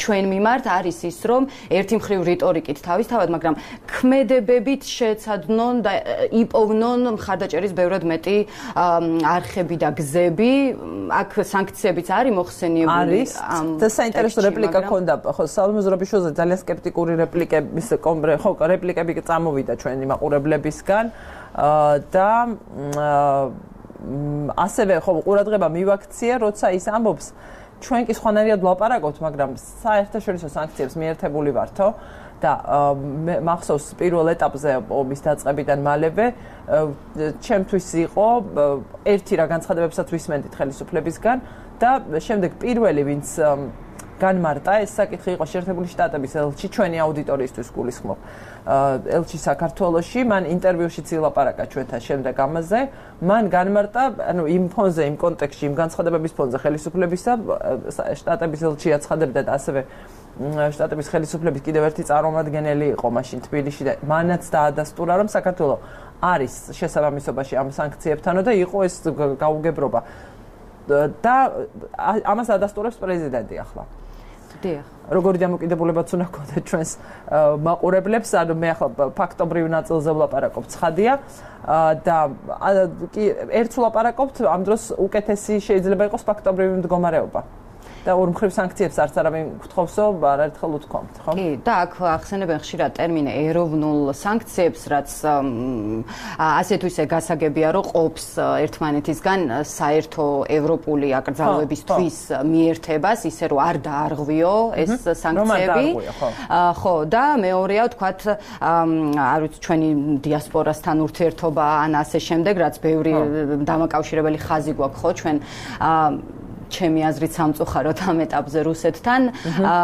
ჩვენ მიმართ, არის ის, რომ ერთი მხრივ რიტორიკით თავისთავად, მაგრამ ქმედებებით შეეცადნონ და იპოვნონ მხარდაჭერის ბევრად მეტი არხები და გზები. აქ სანქციებიც არის მოხსენიებული. არის. და საინტერესო რეპლიკა ქონდა, ხო, სალომე ზურაბიშვილზე ძალიან სკეპტიკური რეპლიკების ხო, რეპლიკები წამოვიდა ჩვენი მაყურებლებისგან და ასევე ხო ყურადღება მივაქცია, როცა ის ამბობს, ჩვენ კი სხვანაირად ვლაპარაკობთ, მაგრამ საერთაშორისო სანქციებს მიერთებული ვართო. და მახსოვს პირველ ეტაპზე ომის დაწყებიდან მალევე ჩემთვის იყო ერთი რა განცხადებებსაც ვისმენდით ხელისუფლებისგან და შემდეგ პირველი ვინც განმარტა ეს საკითხი იყო შეერთებული შტატების ელჩი ჩვენი აუდიტორიისთვის გულისხმობ ელჩი საქართველოში მან ინტერვიუშიც ილაპარაკა ჩვენთან შემდეგ ამაზე მან განმარტა ანუ იმ ფონზე იმ კონტექსტში იმ განცხადებების ფონზე ხელისუფლებისა შტატების ელჩი აცხადებდა და ასევე შტატების ხელისუფლების კიდევ ერთი წარმომადგენელი იყო მაშინ თბილისში და მანაც დაადასტურა რომ საქართველო არის შესაბამისობაში ამ სანქციებთანო და იყო ეს გაუგებრობა და ამას ადასტურებს პრეზიდენტი ახლა. დიახ. როგორი დამოკიდებულებაც უნდა გქონდეთ ჩვენს მაყურებლებს, ანუ მე ახლა ფაქტობრივ ნაწილზე ვლაპარაკობ, ცხადია და კი ერთს ვლაპარაკობთ, ამ დროს უკეთესი შეიძლება იყოს ფაქტობრივი მდგომარეობა. და ორ მხრივ სანქციებს არც არავინ გთხოვსო, არაერთხელ უთქვამთ, ხო? კი, და აქ ახსენებენ ხშირად ტერმინ ეროვნულ სანქციებს, რაც ასე თუ ისე გასაგებია, რომ ყოფს ერთმანეთისგან საერთო ევროპული აკრძალვებისთვის მიერთებას, ისე რომ არ დაარღვიო ეს სანქციები. ხო, და მეორეა, ვთქვათ, არ ვიცი, ჩვენი დიასპორასთან ურთიერთობა ან ასე შემდეგ, რაც ბევრი დამაკავშირებელი ხაზი გვაქვს, ხო, ჩვენ ჩემი აზრით სამწუხაროდ ამ ეტაპზე რუსეთთან,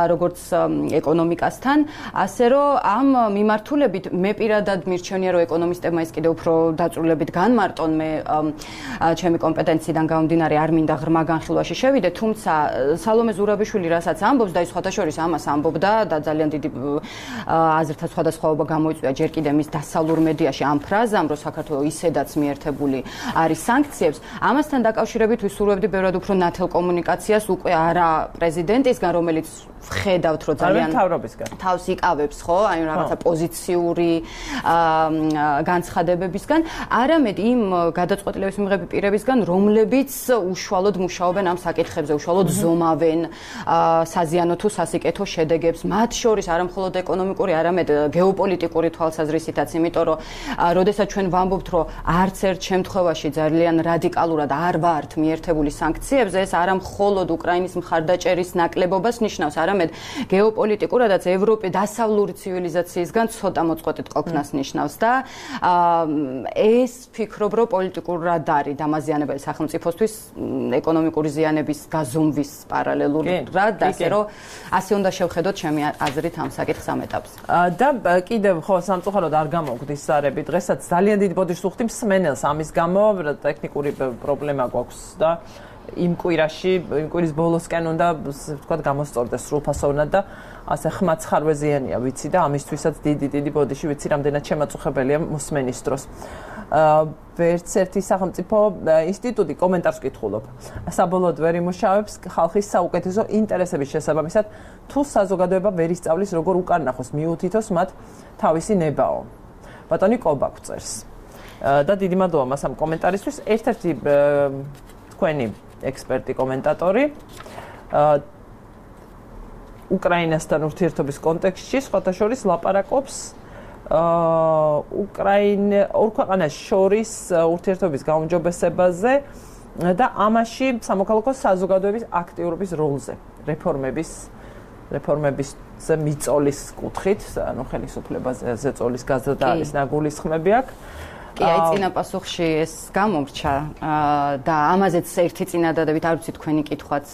როგორც ეკონომიკასთან, ასე რომ ამ მიმართულებით მე პირადად მირჩენია, რომ ეკონომისტებმა ის კიდევ უფრო დაწვრილებით განმარტონ, მე ჩემი კომპეტენციიდან გამომდინარე არ მინდა ღრმა განხილვაში შევიდე, თუმცა სალომე ზურაბიშვილი რასაც ამბობს და ის სხვათა შორის ამას ამბობდა და ძალიან დიდი აზრთა სხვადასხვაობა გამოიწვია ჯერ კიდევ მის დასავლურ მედიაში ამ ფრაზამ, რომ საქართველო ისედაც მიერთებული არის სანქციებს, ამასთან დაკავშირებით ვისურვებდი ბევრად უფრო ნათელ კომუნიკაციას უკვე არა პრეზიდენტისგან, რომელიც ვხედავთ, რომ ძალიან თავს იკავებს, ხო, აი რაღაცა პოზიციური განცხადებებისგან, არამედ იმ გადაწყვეტილების მიღები პირებისგან, რომლებიც უშუალოდ მუშაობენ ამ საკითხებზე, უშუალოდ ზომავენ საზიანო თუ სასიკეთო შედეგებს, მათ შორის არა მხოლოდ ეკონომიკური, არამედ გეოპოლიტიკური თვალსაზრისითაც, იმიტომ რომ როდესაც ჩვენ ვამბობთ, რომ არც ერთ შემთხვევაში ძალიან რადიკალურად არ ვართ მიერთებული სანქციებზე, ეს არა მხოლოდ უკრაინის მხარდაჭერის ნაკლებობას ნიშნავს, არამედ გეოპოლიტიკურადაც ევროპის დასავლური ცივილიზაციისგან ცოტა მოწყვეტით ყოფნას ნიშნავს და ეს ფიქრობ, რომ პოლიტიკურად არის დამაზიანებელი სახელმწიფოსთვის ეკონომიკური ზიანების გაზომვის პარალელურად და ასე რომ ასე უნდა შევხედოთ ჩემი აზრით ამ საკითხს ამ ეტაპზე. და კიდევ ხო სამწუხაროდ არ გამოვგდის სარები დღესაც ძალიან დიდი ბოდიშს უხდი მსმენელს ამის გამო ტექნიკური პრობლემა გვაქვს და იმ კვირაში, იმ კვირის ბოლოსკენ უნდა ვთქვათ გამოსწორდეს სრულფასოვნად და ასე ხმაც ხარვეზიანია ვიცი და ამისთვისაც დიდი დიდი ბოდიში ვიცი რამდენად შემაწუხებელია მოსმენის დროს. ვერც ერთი სახელმწიფო ინსტიტუტი კომენტარს ვკითხულობ. საბოლოოდ ვერ იმუშავებს ხალხის საუკეთესო ინტერესების შესაბამისად თუ საზოგადოება ვერ ისწავლის როგორ უკან ნახოს მიუთითოს მათ თავისი ნებაო. ბატონი კობა გვწერს. და დიდი მადლობა მას ამ კომენტარისთვის. ერთ-ერთი თქვენი ექსპერტი კომენტატორი უკრაინასთან ურთიერთობის კონტექსტში სხვათა შორის ლაპარაკობს უკრაინა ორ ქვეყანას შორის ურთიერთობის გაუმჯობესებაზე და ამაში სამოქალაქო საზოგადოების აქტიურობის როლზე, რეფორმების რეფორმების მიწოლის კუთხით, ანუ ხელისუფლებაზე ზეწოლის გაზრდა არის ნაგულისხმები აქ. კი, აი წინა პასუხში ეს გამომრჩა და ამაზეც ერთი წინადადებით არ ვიცი თქვენი კითხვაც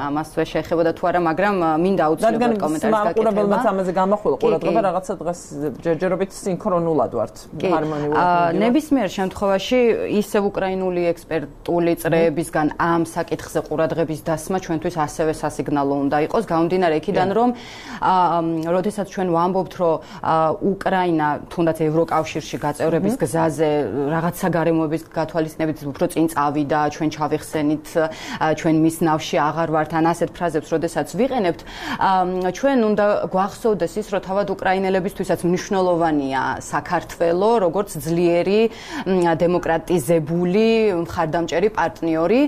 ამასვე შეეხებოდა თუ არა, მაგრამ მინდა აუცილებლად კომენტარის გაკეთება. მაყურებელმაც ამაზე გამახვილა ყურადღება, რაღაცა დღეს ჯერჯერობით სინქრონულად ვართ, ჰარმონიულად. ნებისმიერ შემთხვევაში ისევ უკრაინული ექსპერტული წრეებისგან ამ საკითხზე ყურადღების დასმა ჩვენთვის ასევე სასიგნალო უნდა იყოს, გამომდინარე იქიდან, რომ როდესაც ჩვენ ვამბობთ, რომ უკრაინა თუნდაც ევროკავშირში გაწევრების გზაზე რაღაცა გარემოების გათვალისწინებით უფრო წინ წავიდა, ჩვენ ჩავიხსენით, ჩვენ მის ნავში აღარ ვართ, ან ასეთ ფრაზებს როდესაც ვიყენებთ, ჩვენ უნდა გვახსოვდეს ის, რომ თავად უკრაინელებისთვისაც მნიშვნელოვანია საქართველო, როგორც ძლიერი დემოკრატიზებული მხარდამჭერი პარტნიორი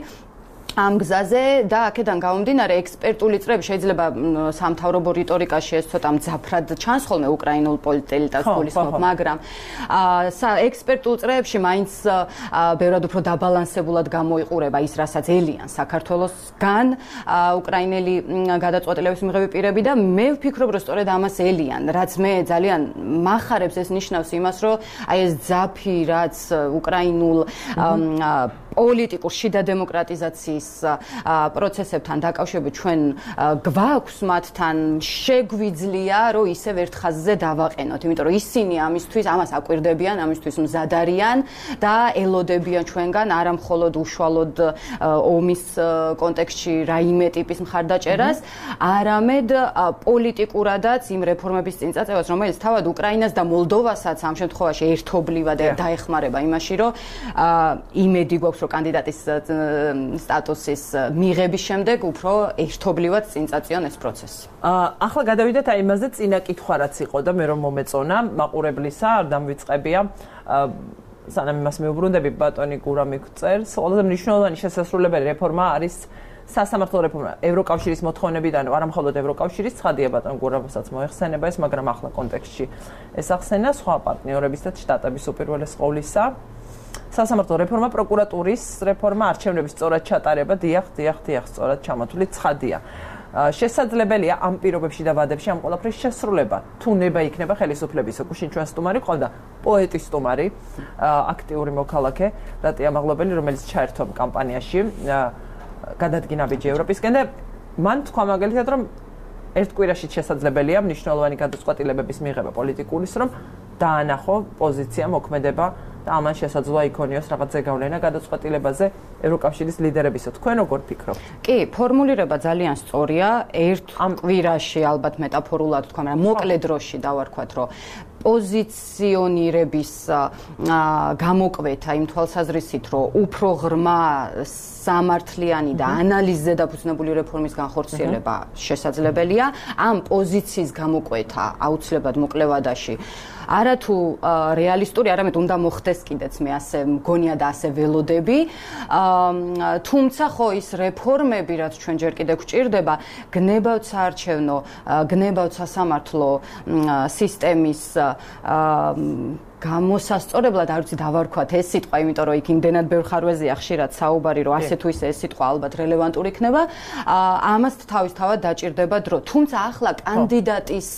ამ გზაზე და აქედან გამომდინარე ექსპერტული წრეები შეიძლება სამთავრობო რიტორიკაში ეს ცოტა მძაფრად ჩანს ხოლმე უკრაინულ პოლიტელიტას გულისხმობ, მაგრამ ექსპერტულ წრეებში მაინც ბევრად უფრო დაბალანსებულად გამოიყურება ის, რასაც ელიან საქართველოსგან უკრაინელი გადაწყვეტილების მიღები პირები და მე ვფიქრობ, რომ სწორედ ამას ელიან, რაც მე ძალიან მახარებს, ეს ნიშნავს იმას, რომ აი ეს ძაფი, რაც უკრაინულ პოლიტიკურ შიდა დემოკრატიზაციის პროცესებთან დაკავშირებით ჩვენ გვაქვს მათთან, შეგვიძლია, რომ ისევ ერთ ხაზზე დავაყენოთ, იმიტომ რომ ისინი ამისთვის ამას აკვირდებიან, ამისთვის მზად არიან და ელოდებიან ჩვენგან არა მხოლოდ უშუალოდ ომის კონტექსტში რაიმე ტიპის მხარდაჭერას, არამედ პოლიტიკურადაც იმ რეფორმების წინწაწევას, რომელიც თავად უკრაინას და მოლდოვასაც ამ შემთხვევაში ერთობლივად დაეხმარება იმაში, რომ იმედი გვაქვს, რომ კანდიდატის სტატუსის მიღების შემდეგ უფრო ერთობლივად წინწაწიონ ეს პროცესი. ახლა გადავიდეთ აი იმაზე, წინა კითხვა რაც იყო და მე რომ მომეწონა მაყურებლისა, არ დამვიწყებია სანამ იმას მეუბრუნდები ბატონი გურა მიგწერს, ყველაზე მნიშვნელოვანი შესასრულებელი რეფორმა არის სასამართლო რეფორმა ევროკავშირის მოთხოვნებიდან, არა მხოლოდ ევროკავშირის, ცხადია ბატონ გურამსაც მოეხსენება ეს, მაგრამ ახლა კონტექსტში ეს ახსენა სხვა პარტნიორებისაც, შტატების უპირველეს ყოვლისა. სასამართლო რეფორმა, პროკურატურის რეფორმა, არჩევნების სწორად ჩატარება, დიახ, დიახ, დიახ, სწორად ჩამოთვლილი ცხადია. შესაძლებელია ამ პირობებში და ვადებში ამ ყველაფრის შესრულება. თუ ნება იქნება ხელისუფლების, გუშინ ჩვენ სტუმარი ყავდა, პოეტი სტუმარი, აქტიური მოქალაქე, რატია მაღლობელი, რომელიც ჩაერთო კამპანიაში, გადადგინა ბიჯი ევროპისკენ და მან თქვა მაგალითად, რომ ერთ კვირაში შესაძლებელია მნიშვნელოვანი გადაწყვეტილებების მიღება პოლიტიკურის, რომ დაანახო პოზიცია, მოქმედება და ამან შესაძლოა იქონიოს რაღაც ზეგავლენა გადაწყვეტილებაზე ევროკავშირის ლიდერებისა. თქვენ როგორ ფიქრობთ? კი, ფორმულირება ძალიან სწორია. ერთ კვირაში ალბათ მეტაფორულად თქვა, მაგრამ მოკლე დროში დავარქვათ, რომ პოზიციონირების გამოკვეთა იმ თვალსაზრისით, რომ უფრო ღრმა სამართლიანი და ანალიზზე დაფუძნებული რეფორმის განხორციელება შესაძლებელია. ამ პოზიციის გამოკვეთა აუცილებლად მოკლე ვადაში არათუ რეალისტური, არამედ უნდა მოხდეს კიდეც მე ასე მგონია და ასე ველოდები. თუმცა ხო ის რეფორმები, რაც ჩვენ ჯერ კიდევ გვჭირდება, გნებავთ საარჩევნო, გნებავთ სასამართლო სისტემის გამოსასწორებლად, არ ვიცი დავარქვათ ეს სიტყვა, იმიტომ რომ იქ იმდენად ბევრ ხარვეზია ხშირად საუბარი, რომ ასე თუ ისე ეს სიტყვა ალბათ რელევანტური იქნება. ამას თავისთავად დაჭირდება დრო. თუმცა ახლა კანდიდატის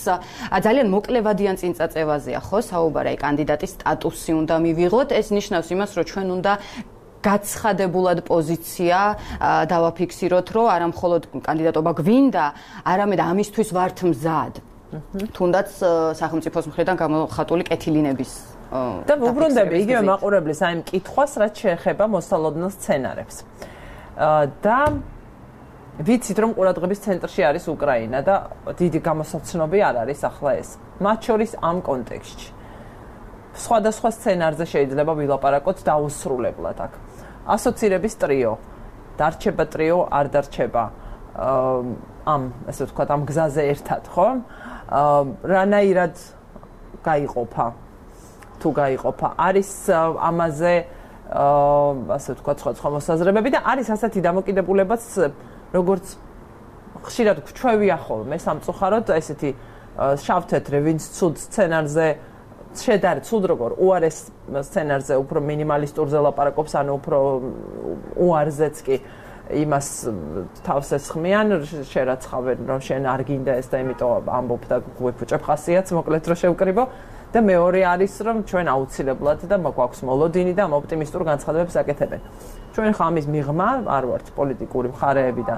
ძალიან მოკლევადიან წინწაწევაზეა ხო საუბარი, აი კანდიდატის სტატუსი უნდა მივიღოთ. ეს ნიშნავს იმას, რომ ჩვენ უნდა გაცხადებულად პოზიცია დავაფიქსიროთ, რომ არა მხოლოდ კანდიდატობა გვინდა, არამედ ამისთვის ვართ მზად. თუნდაც სახელმწიფოს მხრიდან გამოხატული კეთილინების და ვუბრუნდები იგივე მაყურებლის აი ამ კითხვას, რაც შეეხება მოსალოდნელ სცენარებს. და ვიცით, რომ ყურადღების ცენტრში არის უკრაინა და დიდი გამოსაცნობი არ არის ახლა ეს. მათ შორის ამ კონტექსტში სხვადასხვა სცენარზე შეიძლება ვილაპარაკოთ დაუსრულებლად აქ. ასოცირების ტრიო, დარჩება ტრიო, არ დარჩება ამ, ასე ვთქვათ, ამ გზაზე ერთად, ხო? რანაირად გაიყოფა, თუ გაიყოფა, არის ამაზე, ასე ვთქვათ, სხვა სხვა მოსაზრებები და არის ასეთი დამოკიდებულებაც, როგორც ხშირად გვჩვევია ხოლმე სამწუხაროდ, ესეთი შავ-თეთრი, ვინც ცუდ სცენარზე შედარებით სულ როგორ უარეს სცენარზე უფრო მინიმალისტურზე ლაპარაკობს, ანუ უფრო უარზეც კი იმას თავს ესხმიან, შერაცხავენ, რომ შენ არ გინდა ეს და იმიტომ ამბობ და გვეფუჭებ ხასიათს, მოკლედ რომ შევკრიბო. და მეორე არის, რომ ჩვენ აუცილებლად და გვაქვს მოლოდინი და ამ ოპტიმისტურ განცხადებებს აკეთებენ. ჩვენ ხა ამის მიღმა არ ვართ პოლიტიკური მხარეები და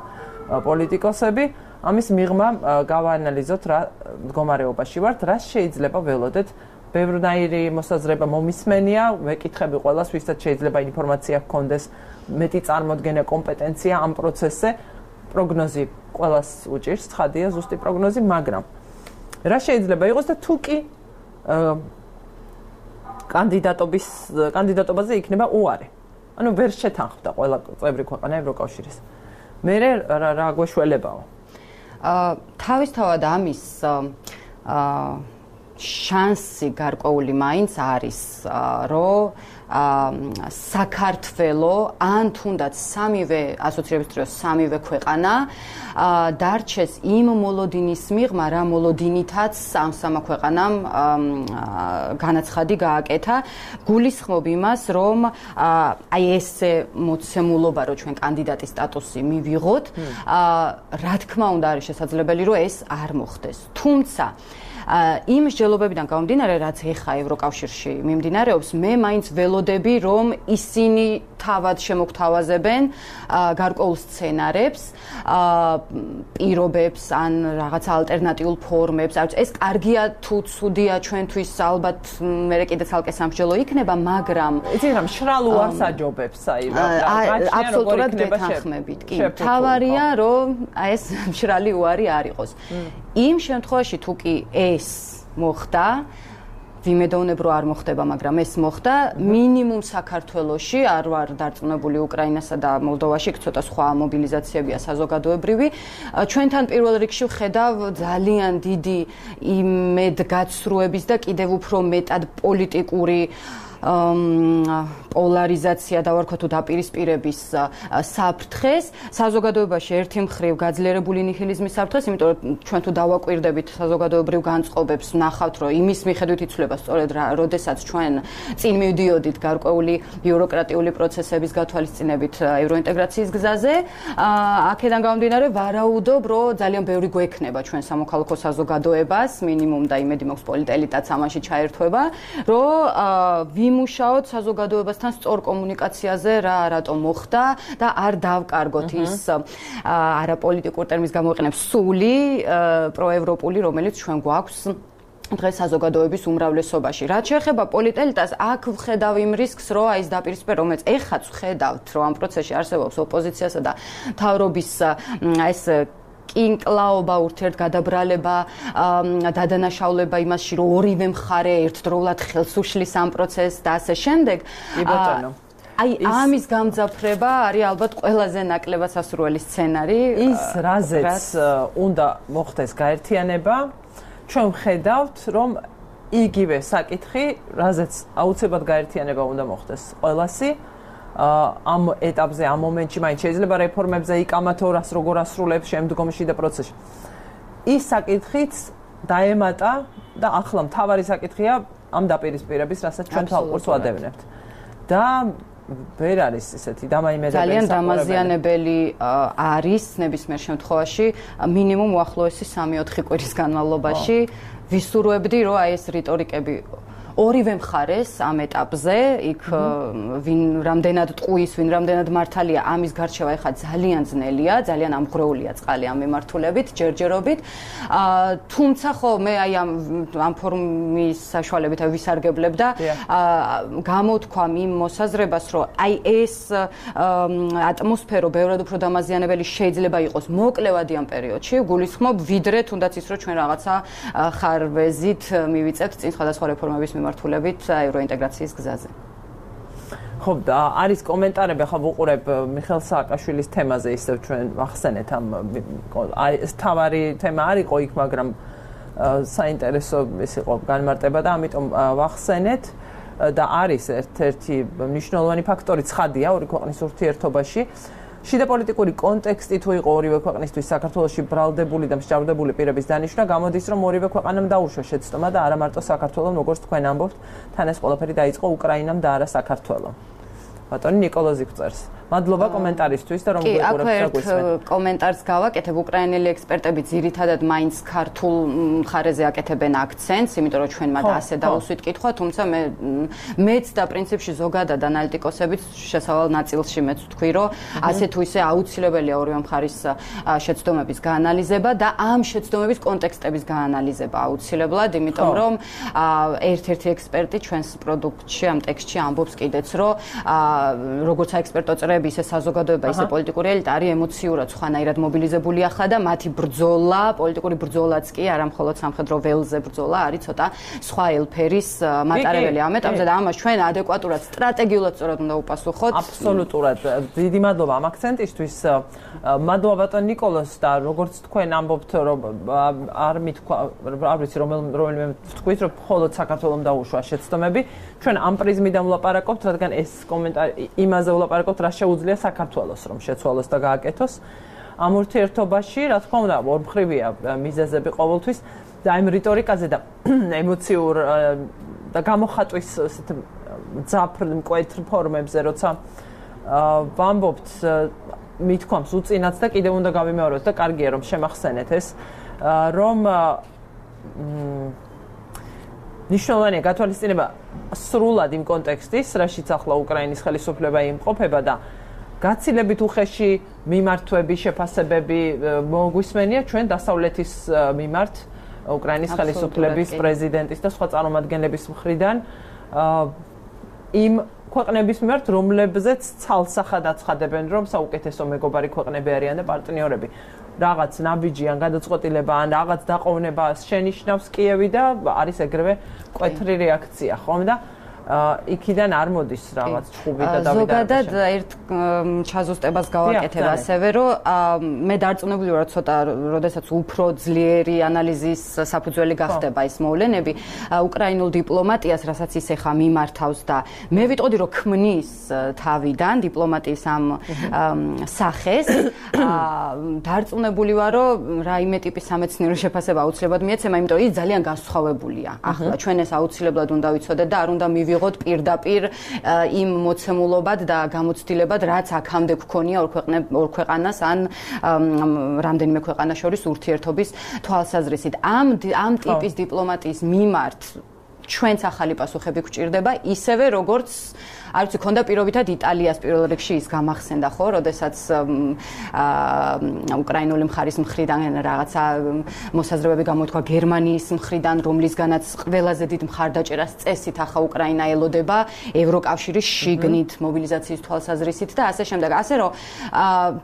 პოლიტიკოსები, ამის მიღმა გავაანალიზოთ რა მდგომარეობაში ვართ, რა შეიძლება ველოდეთ. ბევრნაირი მოსაზრება მომისმენია, ვეკითხები ყველას, ვისაც შეიძლება ინფორმაცია ჰქონდეს, მეტი წარმოდგენა, კომპეტენცია ამ პროცესზე, პროგნოზი ყველას უჭირს, ცხადია ზუსტი პროგნოზი, მაგრამ რა შეიძლება იყოს და თუ კი კანდიდატობის კანდიდატობაზე იქნება უარი. ანუ ვერ შეთანხმდა ყველა წევრი ქვეყანა ევროკავშირის. მე რა რა გვეშველებაო? აა თავისთავად ამის აა შანსი გარკვეული მაინც არის, რომ საქართველო ან თუნდაც სამივე ასოციირების თრიო სამივე ქვეყანა დარჩეს იმ მოლოდინის მიღმა, რა მოლოდინითაც ამ სამა ქვეყანამ განაცხადი გააკეთა, გულისხმობ იმას, რომ აი ესე მოცემულობა, რომ ჩვენ კანდიდატის სტატუსი მივიღოთ, რა თქმა უნდა არის შესაძლებელი, რომ ეს არ მოხდეს. თუმცა იმ მსჯელობებიდან გამომდინარე, რაც ეხა ევროკავშირში მიმდინარეობს, მე მაინც ველოდები, რომ ისინი თავად შემოგთავაზებენ გარკვეულ სცენარებს, პირობებს ან რაღაც ალტერნატიულ ფორმებს. ეს კარგია თუ ცუდია ჩვენთვის, ალბათ მე კიდე ცალკე სამსჯელო იქნება, მაგრამ იცი რა მშრალ უარს აჯობებს, აი რა აბსოლუტურად გეთანხმებით. კი, თავარია, რომ ეს მშრალი უარი არ იყოს. იმ შემთხვევაში თუ კი ეს მოხდა, ვიმედოვნებ რომ არ მოხდება, მაგრამ ეს მოხდა, მინიმუმ საქართველოში, არ ვარ დარწმუნებული უკრაინასა და მოლდოვაში, ცოტა სხვა მობილიზაციებია საზოგადოებრივი, ჩვენთან პირველ რიგში ვხედავ ძალიან დიდი იმედგაცრუების და კიდევ უფრო მეტად პოლიტიკური პოლარიზაცია დავარქვა თუ დაპირისპირების საფრთხეს, საზოგადოებაში ერთი მხრივ გაძლიერებული ნიჰილიზმის საფრთხეს, იმიტომ რომ ჩვენ თუ დავაკვირდებით საზოგადოებრივ განწყობებს, ვნახავთ, რომ იმის მიხედვით იცვლება სწორედ როდესაც ჩვენ წინ მივდიოდით გარკვეული ბიუროკრატიული პროცესების გათვალისწინებით ევროინტეგრაციის გზაზე, აქედან გამომდინარე ვარაუდობ, რომ ძალიან ბევრი გვექნება ჩვენ სამოქალაქო საზოგადოებას, მინიმუმ და იმედი მაქვს პოლიტელიტაც ამაში ჩაერთვება, რომ ვიმუშაოთ საზოგადოებასთან სწორ კომუნიკაციაზე, რა რატომ მოხდა და არ დავკარგოთ ის არაპოლიტიკურ ტერმინს გამოვიყენებ სული პროევროპული, რომელიც ჩვენ გვაქვს დღეს საზოგადოების უმრავლესობაში. რაც შეეხება პოლიტელიტას, აქ ვხედავ იმ რისკს, რომ აი ეს დაპირისპირება, რომელიც ეხაც ვხედავთ, რომ ამ პროცესში არსებობს ოპოზიციასა და მთავრობის ეს კინკლაობა, ურთიერთგადაბრალება, დადანაშაულება იმასში, რომ ორივე მხარე ერთდროულად ხელს უშლის ამ პროცესს და ასე შემდეგ. აი ამის გამძაფრება არის ალბათ ყველაზე ნაკლებად სასურველი სცენარი. ის რაზეც უნდა მოხდეს გაერთიანება, ჩვენ ვხედავთ, რომ იგივე საკითხი, რაზეც აუცილებლად გაერთიანება უნდა მოხდეს ყველასი. ამ ეტაპზე, ამ მომენტში მაინც შეიძლება რეფორმებზე იკამათო, რას როგორ ასრულებს შემდგომში და პროცესში. ის საკითხიც დაემატა და ახლა მთავარი საკითხია ამ დაპირისპირების, რასაც ჩვენ თვალყურს ვადევნებთ. და ვერ არის ესეთი დამაიმედებელი ძალიან დამაზიანებელი არის ნებისმიერ შემთხვევაში მინიმუმ უახლოესი სამი-ოთხი კვირის განმავლობაში ვისურვებდი, რომ აი ეს რიტორიკები ორივე მხარეს ამ ეტაპზე, იქ ვინ რამდენად ტყუის, ვინ რამდენად მართალია, ამის გარჩევა ეხლა ძალიან ძნელია, ძალიან ამღრეულია წყალი ამ მიმართულებით, ჯერჯერობით. თუმცა ხო მე აი ამ ამ ფორუმის საშუალებით ვისარგებლებ და გამოთქვამ იმ მოსაზრებას, რომ აი ეს ატმოსფერო ბევრად უფრო დამაზიანებელი შეიძლება იყოს მოკლევადი ამ პერიოდში, გულისხმობ ვიდრე თუნდაც ის, რომ ჩვენ რაღაცა ხარვეზით მივიწევთ წინ სხვადასხვა რეფორმების მიმართულებით ევროინტეგრაციის გზაზე. ხო, და არის კომენტარები, ახლა ვუყურებ მიხეილ სააკაშვილის თემაზე, ისევ ჩვენ ვახსენეთ ამ ეს თავარი თემა არ იყო იქ, მაგრამ საინტერესო ის იყო განმარტება და ამიტომ ვახსენეთ და არის ერთ-ერთი მნიშვნელოვანი ფაქტორი ცხადია ორი ქვეყნის ურთიერთობაში, შიდა პოლიტიკური კონტექსტი თუ იყო ორივე ქვეყნისთვის საქართველოში ბრალდებული და მსჯავრდებული პირების დანიშვნა, გამოდის რომ ორივე ქვეყანამ დაუშვა შეცდომა და არა მარტო საქართველოს, როგორც თქვენ ამბობთ, თან ეს ყველაფერი დაიწყო უკრაინამ და არა საქართველოს. ბატონი ნიკოლოზი გვწერს. მადლობა კომენტარისთვის და რომ გვიყურებთ და გვისმენთ. კომენტარს გავაკეთებ, უკრაინელი ექსპერტები ძირითადად მაინც ქართულ მხარეზე აკეთებენ აქცენტს, იმიტომ რომ ჩვენ მათ ასე დაუსვით კითხვა, თუმცა მე მეც და პრინციპში ზოგადად ანალიტიკოსებიც შესავალ ნაწილში მეც ვთქვი, რომ ასე თუ ისე აუცილებელია ორივე მხარის შეცდომების გაანალიზება და ამ შეცდომების კონტექსტების გაანალიზება აუცილებლად, იმიტომ რომ ერთ-ერთი ექსპერტი ჩვენს პროდუქტში ამ ტექსტში ამბობს კიდეც, რომ როგორც საექსპერტო წრეები, ისე საზოგადოება, ისე პოლიტიკური ელიტა არის ემოციურად სხვანაირად მობილიზებული ახლა და მათი ბრძოლა, პოლიტიკური ბრძოლაც კი არა მხოლოდ სამხედრო ველზე ბრძოლა, არის ცოტა სხვა ელფერის მატარებელი. ამ ეტაპზე და ამას ჩვენ ადეკვატურად, სტრატეგიულად სწორად უნდა უპასუხოთ. აბსოლუტურად. დიდი მადლობა ამ აქცენტისთვის. მადლობა ბატონ ნიკოლოზ და როგორც თქვენ ამბობთ, რომ არ მithქვა, არ ვიცი რომელიმე თქვით, რომ მხოლოდ საქართველოს დაუშვა შეცდომები. ჩვენ ამ პრიზმიდან ვლაპარაკობთ, რადგან ეს კომენტარი იმაზე ვლაპარაკობთ, რა შეუძლია საქართველოს რომ შეცვალოს და გააკეთოს. ამ ურთიერთობაში, რა თქმა უნდა, ორმხრივია მიზეზები ყოველთვის და ამ რიტორიკაზე და ემოციურ და გამოხატვის ესეთ მძაფრ მკვეთრ ფორმებზე, როცა ვამბობთ მithქვამს უწინაც და კიდევ უნდა გავიმეოროთ და კარგია რომ შემახსენეთ ეს, რომ ნიშნულოვანია გათვალისწინება სრულად იმ კონტექსტის, რაშიც ახლა უკრაინის ხელისუფლება იმყოფება და გაცილებით უხეში მიმართვები, შეფასებები მოგვისმენია ჩვენ დასავლეთის მიმართ უკრაინის ხელისუფლების, პრეზიდენტის და სხვა წარმომადგენლების მხრიდან იმ ქვეყნების მიმართ, რომლებზეც ცალსახად აცხადებენ, რომ საუკეთესო მეგობარი ქვეყნები არიან და პარტნიორები. რაღაც ნაბიჯი ან გადაწყვეტილება ან რაღაც დაყოვნებას შენიშნავს კიევი და არის ეგრევე მკვეთრი რეაქცია, ხომ და იქიდან არ მოდის რაღაც ჩხუბი და დავიდა. ზოგადად ერთ ჩაზუსტებას გავაკეთებ ასევე, რომ მე დარწმუნებული ვარ, ცოტა როდესაც უფრო ძლიერი ანალიზის საფუძველი გახდება ეს მოვლენები, უკრაინულ დიპლომატიას, რასაც ის ეხა მიმართავს და მე ვიტყოდი, რომ ქმნის თავიდან დიპლომატიის ამ სახეს, დარწმუნებული ვარ, რომ რაიმე ტიპის სამეცნიერო შეფასება აუცილებლად მიეცემა, იმიტომ რომ ის ძალიან განსხვავებულია. ახლა ჩვენ ეს აუცილებლად უნდა ვიცოდეთ და არ უნდა ვიღოთ პირდაპირ იმ მოცემულობად და გამოცდილებად, რაც აქამდე გქონია ორ ორ ქვეყანას ან რამდენიმე ქვეყანას შორის ურთიერთობის თვალსაზრისით. ამ ამ ტიპის დიპლომატიის მიმართ ჩვენც ახალი პასუხები გვჭირდება, ისევე როგორც არ ვიცი, ქონდა პირობითად იტალიას პირველ რიგში ის გამახსენდა, ხო, როდესაც უკრაინული მხარის მხრიდან რაღაცა მოსაზრებები გამოთქვა გერმანიის მხრიდან, რომლისგანაც ყველაზე დიდ მხარდაჭერას წესით ახლა უკრაინა ელოდება ევროკავშირის შიგნით მობილიზაციის თვალსაზრისით და ასე შემდეგ. ასე რომ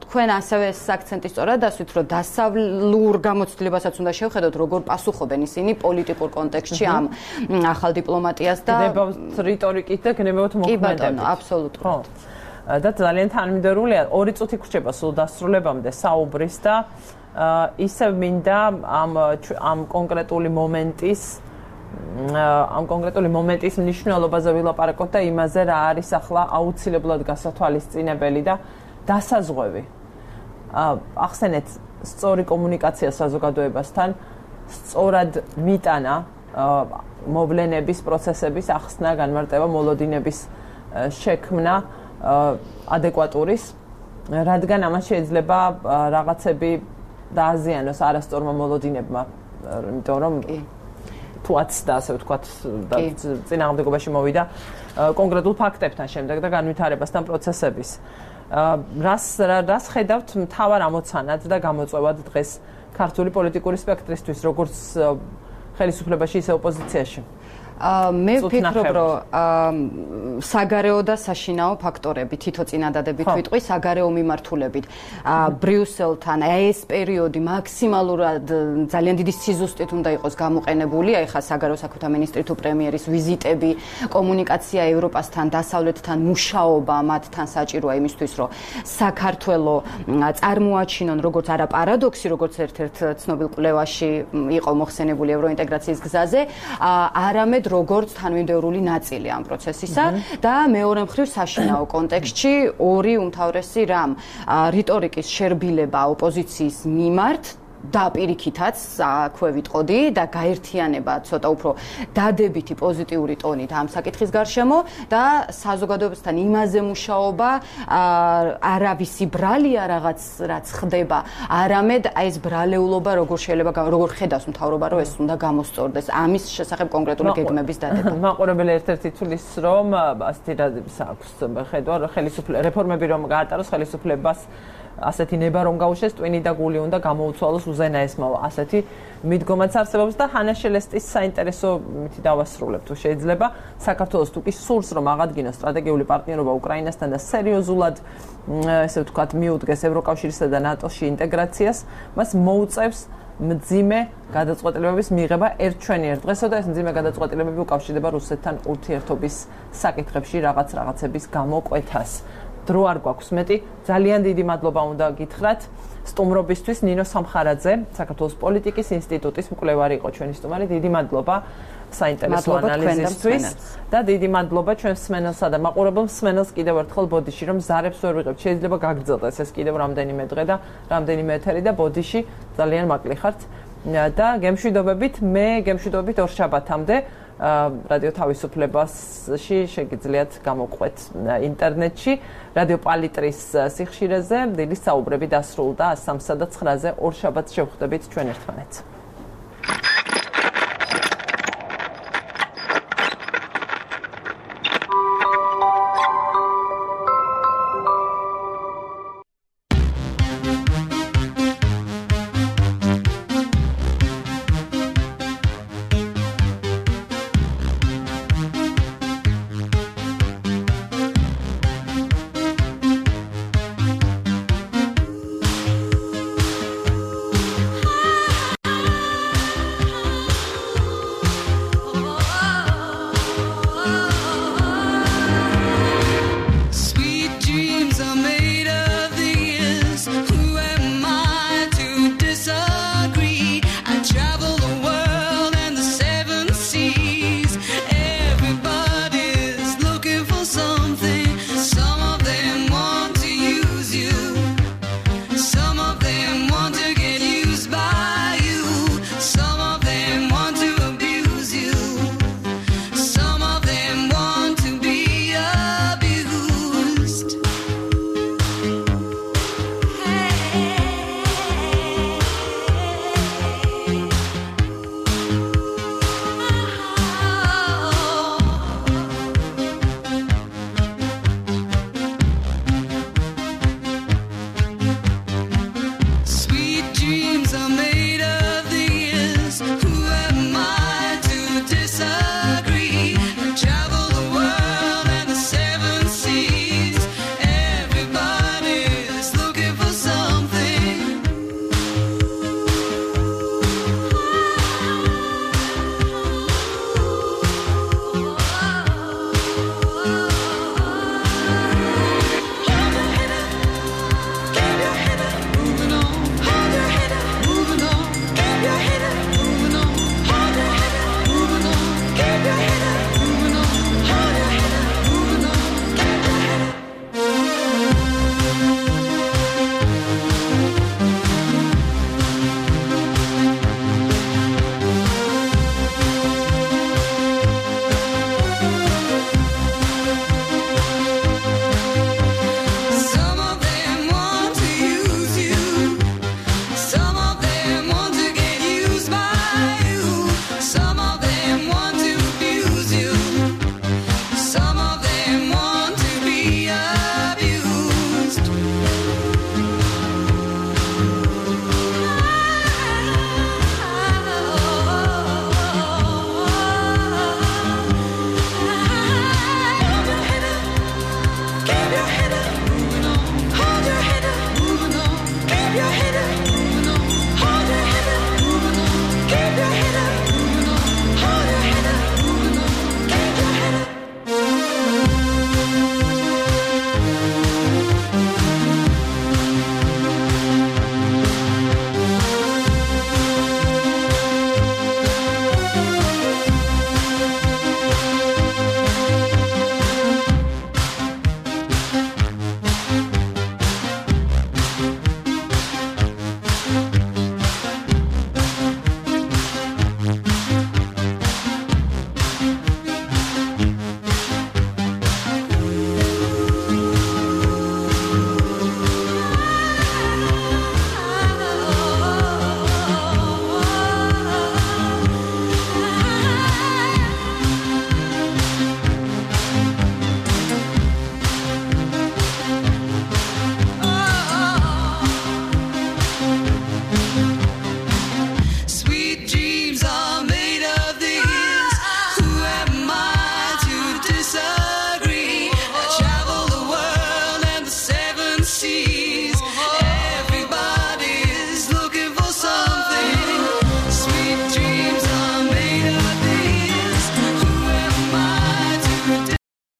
თქვენ ასევე ეს აქცენტი სწორად ასვით, რომ დასავლურ გამოცდილებასაც უნდა შევხედოთ, როგორ პასუხობენ ისინი პოლიტიკურ კონტექსტში ამ ახალ დიპლომატიას და გნებავთ რიტორიკით და გნებავთ მოქმედებით. აბსოლუტურად. ხო. და ძალიან თანმიმდევრულია. ორი წუთი გრჩება სულ დასრულებამდე საუბრის და ისევ მინდა ამ ამ კონკრეტული მომენტის ამ კონკრეტული მომენტის მნიშვნელობაზე ვილაპარაკოთ და იმაზე რა არის ახლა აუცილებლად გასათვალისწინებელი და დასაზღვევი. ახსენეთ სწორი კომუნიკაცია საზოგადოებასთან, სწორად მიტანა მოვლენების, პროცესების ახსნა, განმარტება, მოლოდინების შექმნა ადეკვატურის, რადგან ამას შეიძლება რაღაცები დააზიანოს არასწორმა მოლოდინებმა, იმიტომ რომ თუაც და ასე ვთქვათ, წინააღმდეგობაში მოვიდა კონკრეტულ ფაქტებთან შემდეგ და განვითარებასთან პროცესების. რას რას ხედავთ მთავარ ამოცანად და გამოწვევად დღეს ქართული პოლიტიკური სპექტრისთვის, როგორც ხელისუფლებაში, ისე ოპოზიციაში? მე ვფიქრობ, რომ საგარეო და საშინაო ფაქტორები თითო წინადადებით ვიტყვი, საგარეო მიმართულებით. ბრიუსელთან ეს პერიოდი მაქსიმალურად ძალიან დიდი სიზუსტით უნდა იყოს გამოყენებული, აი ხა საგარეო საქმეთა მინისტრი თუ პრემიერის ვიზიტები, კომუნიკაცია ევროპასთან, დასავლეთთან, მუშაობა მათთან საჭიროა იმისთვის, რომ საქართველო წარმოაჩინონ როგორც არა პარადოქსი, როგორც ერთ-ერთ ცნობილ კვლევაში იყო მოხსენებული ევროინტეგრაციის გზაზე, არამედ როგორც თანმიმდევრული ნაწილი ამ პროცესისა და მეორე მხრივ საშინაო კონტექსტში ორი უმთავრესი რამ რიტორიკის შერბილება ოპოზიციის მიმართ და პირიქითაც აქვე ვიტყოდი და გაერთიანება ცოტა უფრო დადებითი პოზიტიური ტონით ამ საკითხის გარშემო და საზოგადოებასთან იმაზე მუშაობა არავისი ბრალია რაღაც რაც ხდება არამედ აი ეს ბრალეულობა როგორ შეიძლება როგორ ხედავს მთავრობა რომ ეს უნდა გამოსწორდეს ამის შესახებ კონკრეტული გეგმების დადება მაყურებელი ერთ-ერთი თulis რომ ასეთი რაზმს აქვს ხედვა ხელისუფლება რეფორმები რომ გაატაროს ხელისუფლებას ასეთი ნება რომ გაუშვეს ტვინი და გული უნდა გამოუცვალოს უზენაესმო ასეთი მიდგომაც არსებობს და ჰანა შელესტის საინტერესო მითი დავასრულებ თუ შეიძლება საქართველოს თუ კი სურს რომ აღადგინოს სტრატეგიული პარტნიორობა უკრაინასთან და სერიოზულად ესე ვთქვათ მიუდგეს ევროკავშირსა და ნატოში ინტეგრაციას მას მოუწევს მძიმე გადაწყვეტილებების მიღება ერთჩვენიერ დღესო და ეს მძიმე გადაწყვეტილებები უკავშირდება რუსეთთან ურთიერთობის საკითხებში რაღაც რაღაცების გამოკვეთას დრო არ გვაქვს მეტი ძალიან დიდი მადლობა უნდა გითხრათ სტუმრობისთვის ნინო სამხარაძე საქართველოს პოლიტიკის ინსტიტუტის მკვლევარი იყო ჩვენი სტუმარი დიდი მადლობა საინტერესო ანალიზისთვის და დიდი მადლობა ჩვენს მსმენელსა და მაყურებელ მსმენელს კიდევ ერთხელ ბოდიში რომ ზარებს ვერ ვიღებთ შეიძლება გაგრძელდეს ეს კიდევ რამდენიმე დღე და რამდენიმე ეთერი და ბოდიში ძალიან მაკლი ხართ და გემშვიდობებით მე გემშვიდობებით ორ შაბათამდე რადიო თავისუფლებაში შეგიძლიათ გამოყვეთ ინტერნეტში რადიო პალიტრის სიხშირეზე დილის საუბრები დასრულდა სამსა და ცხრაზე ორ შაბათს შევხვდებით ჩვენ ერთმანეთს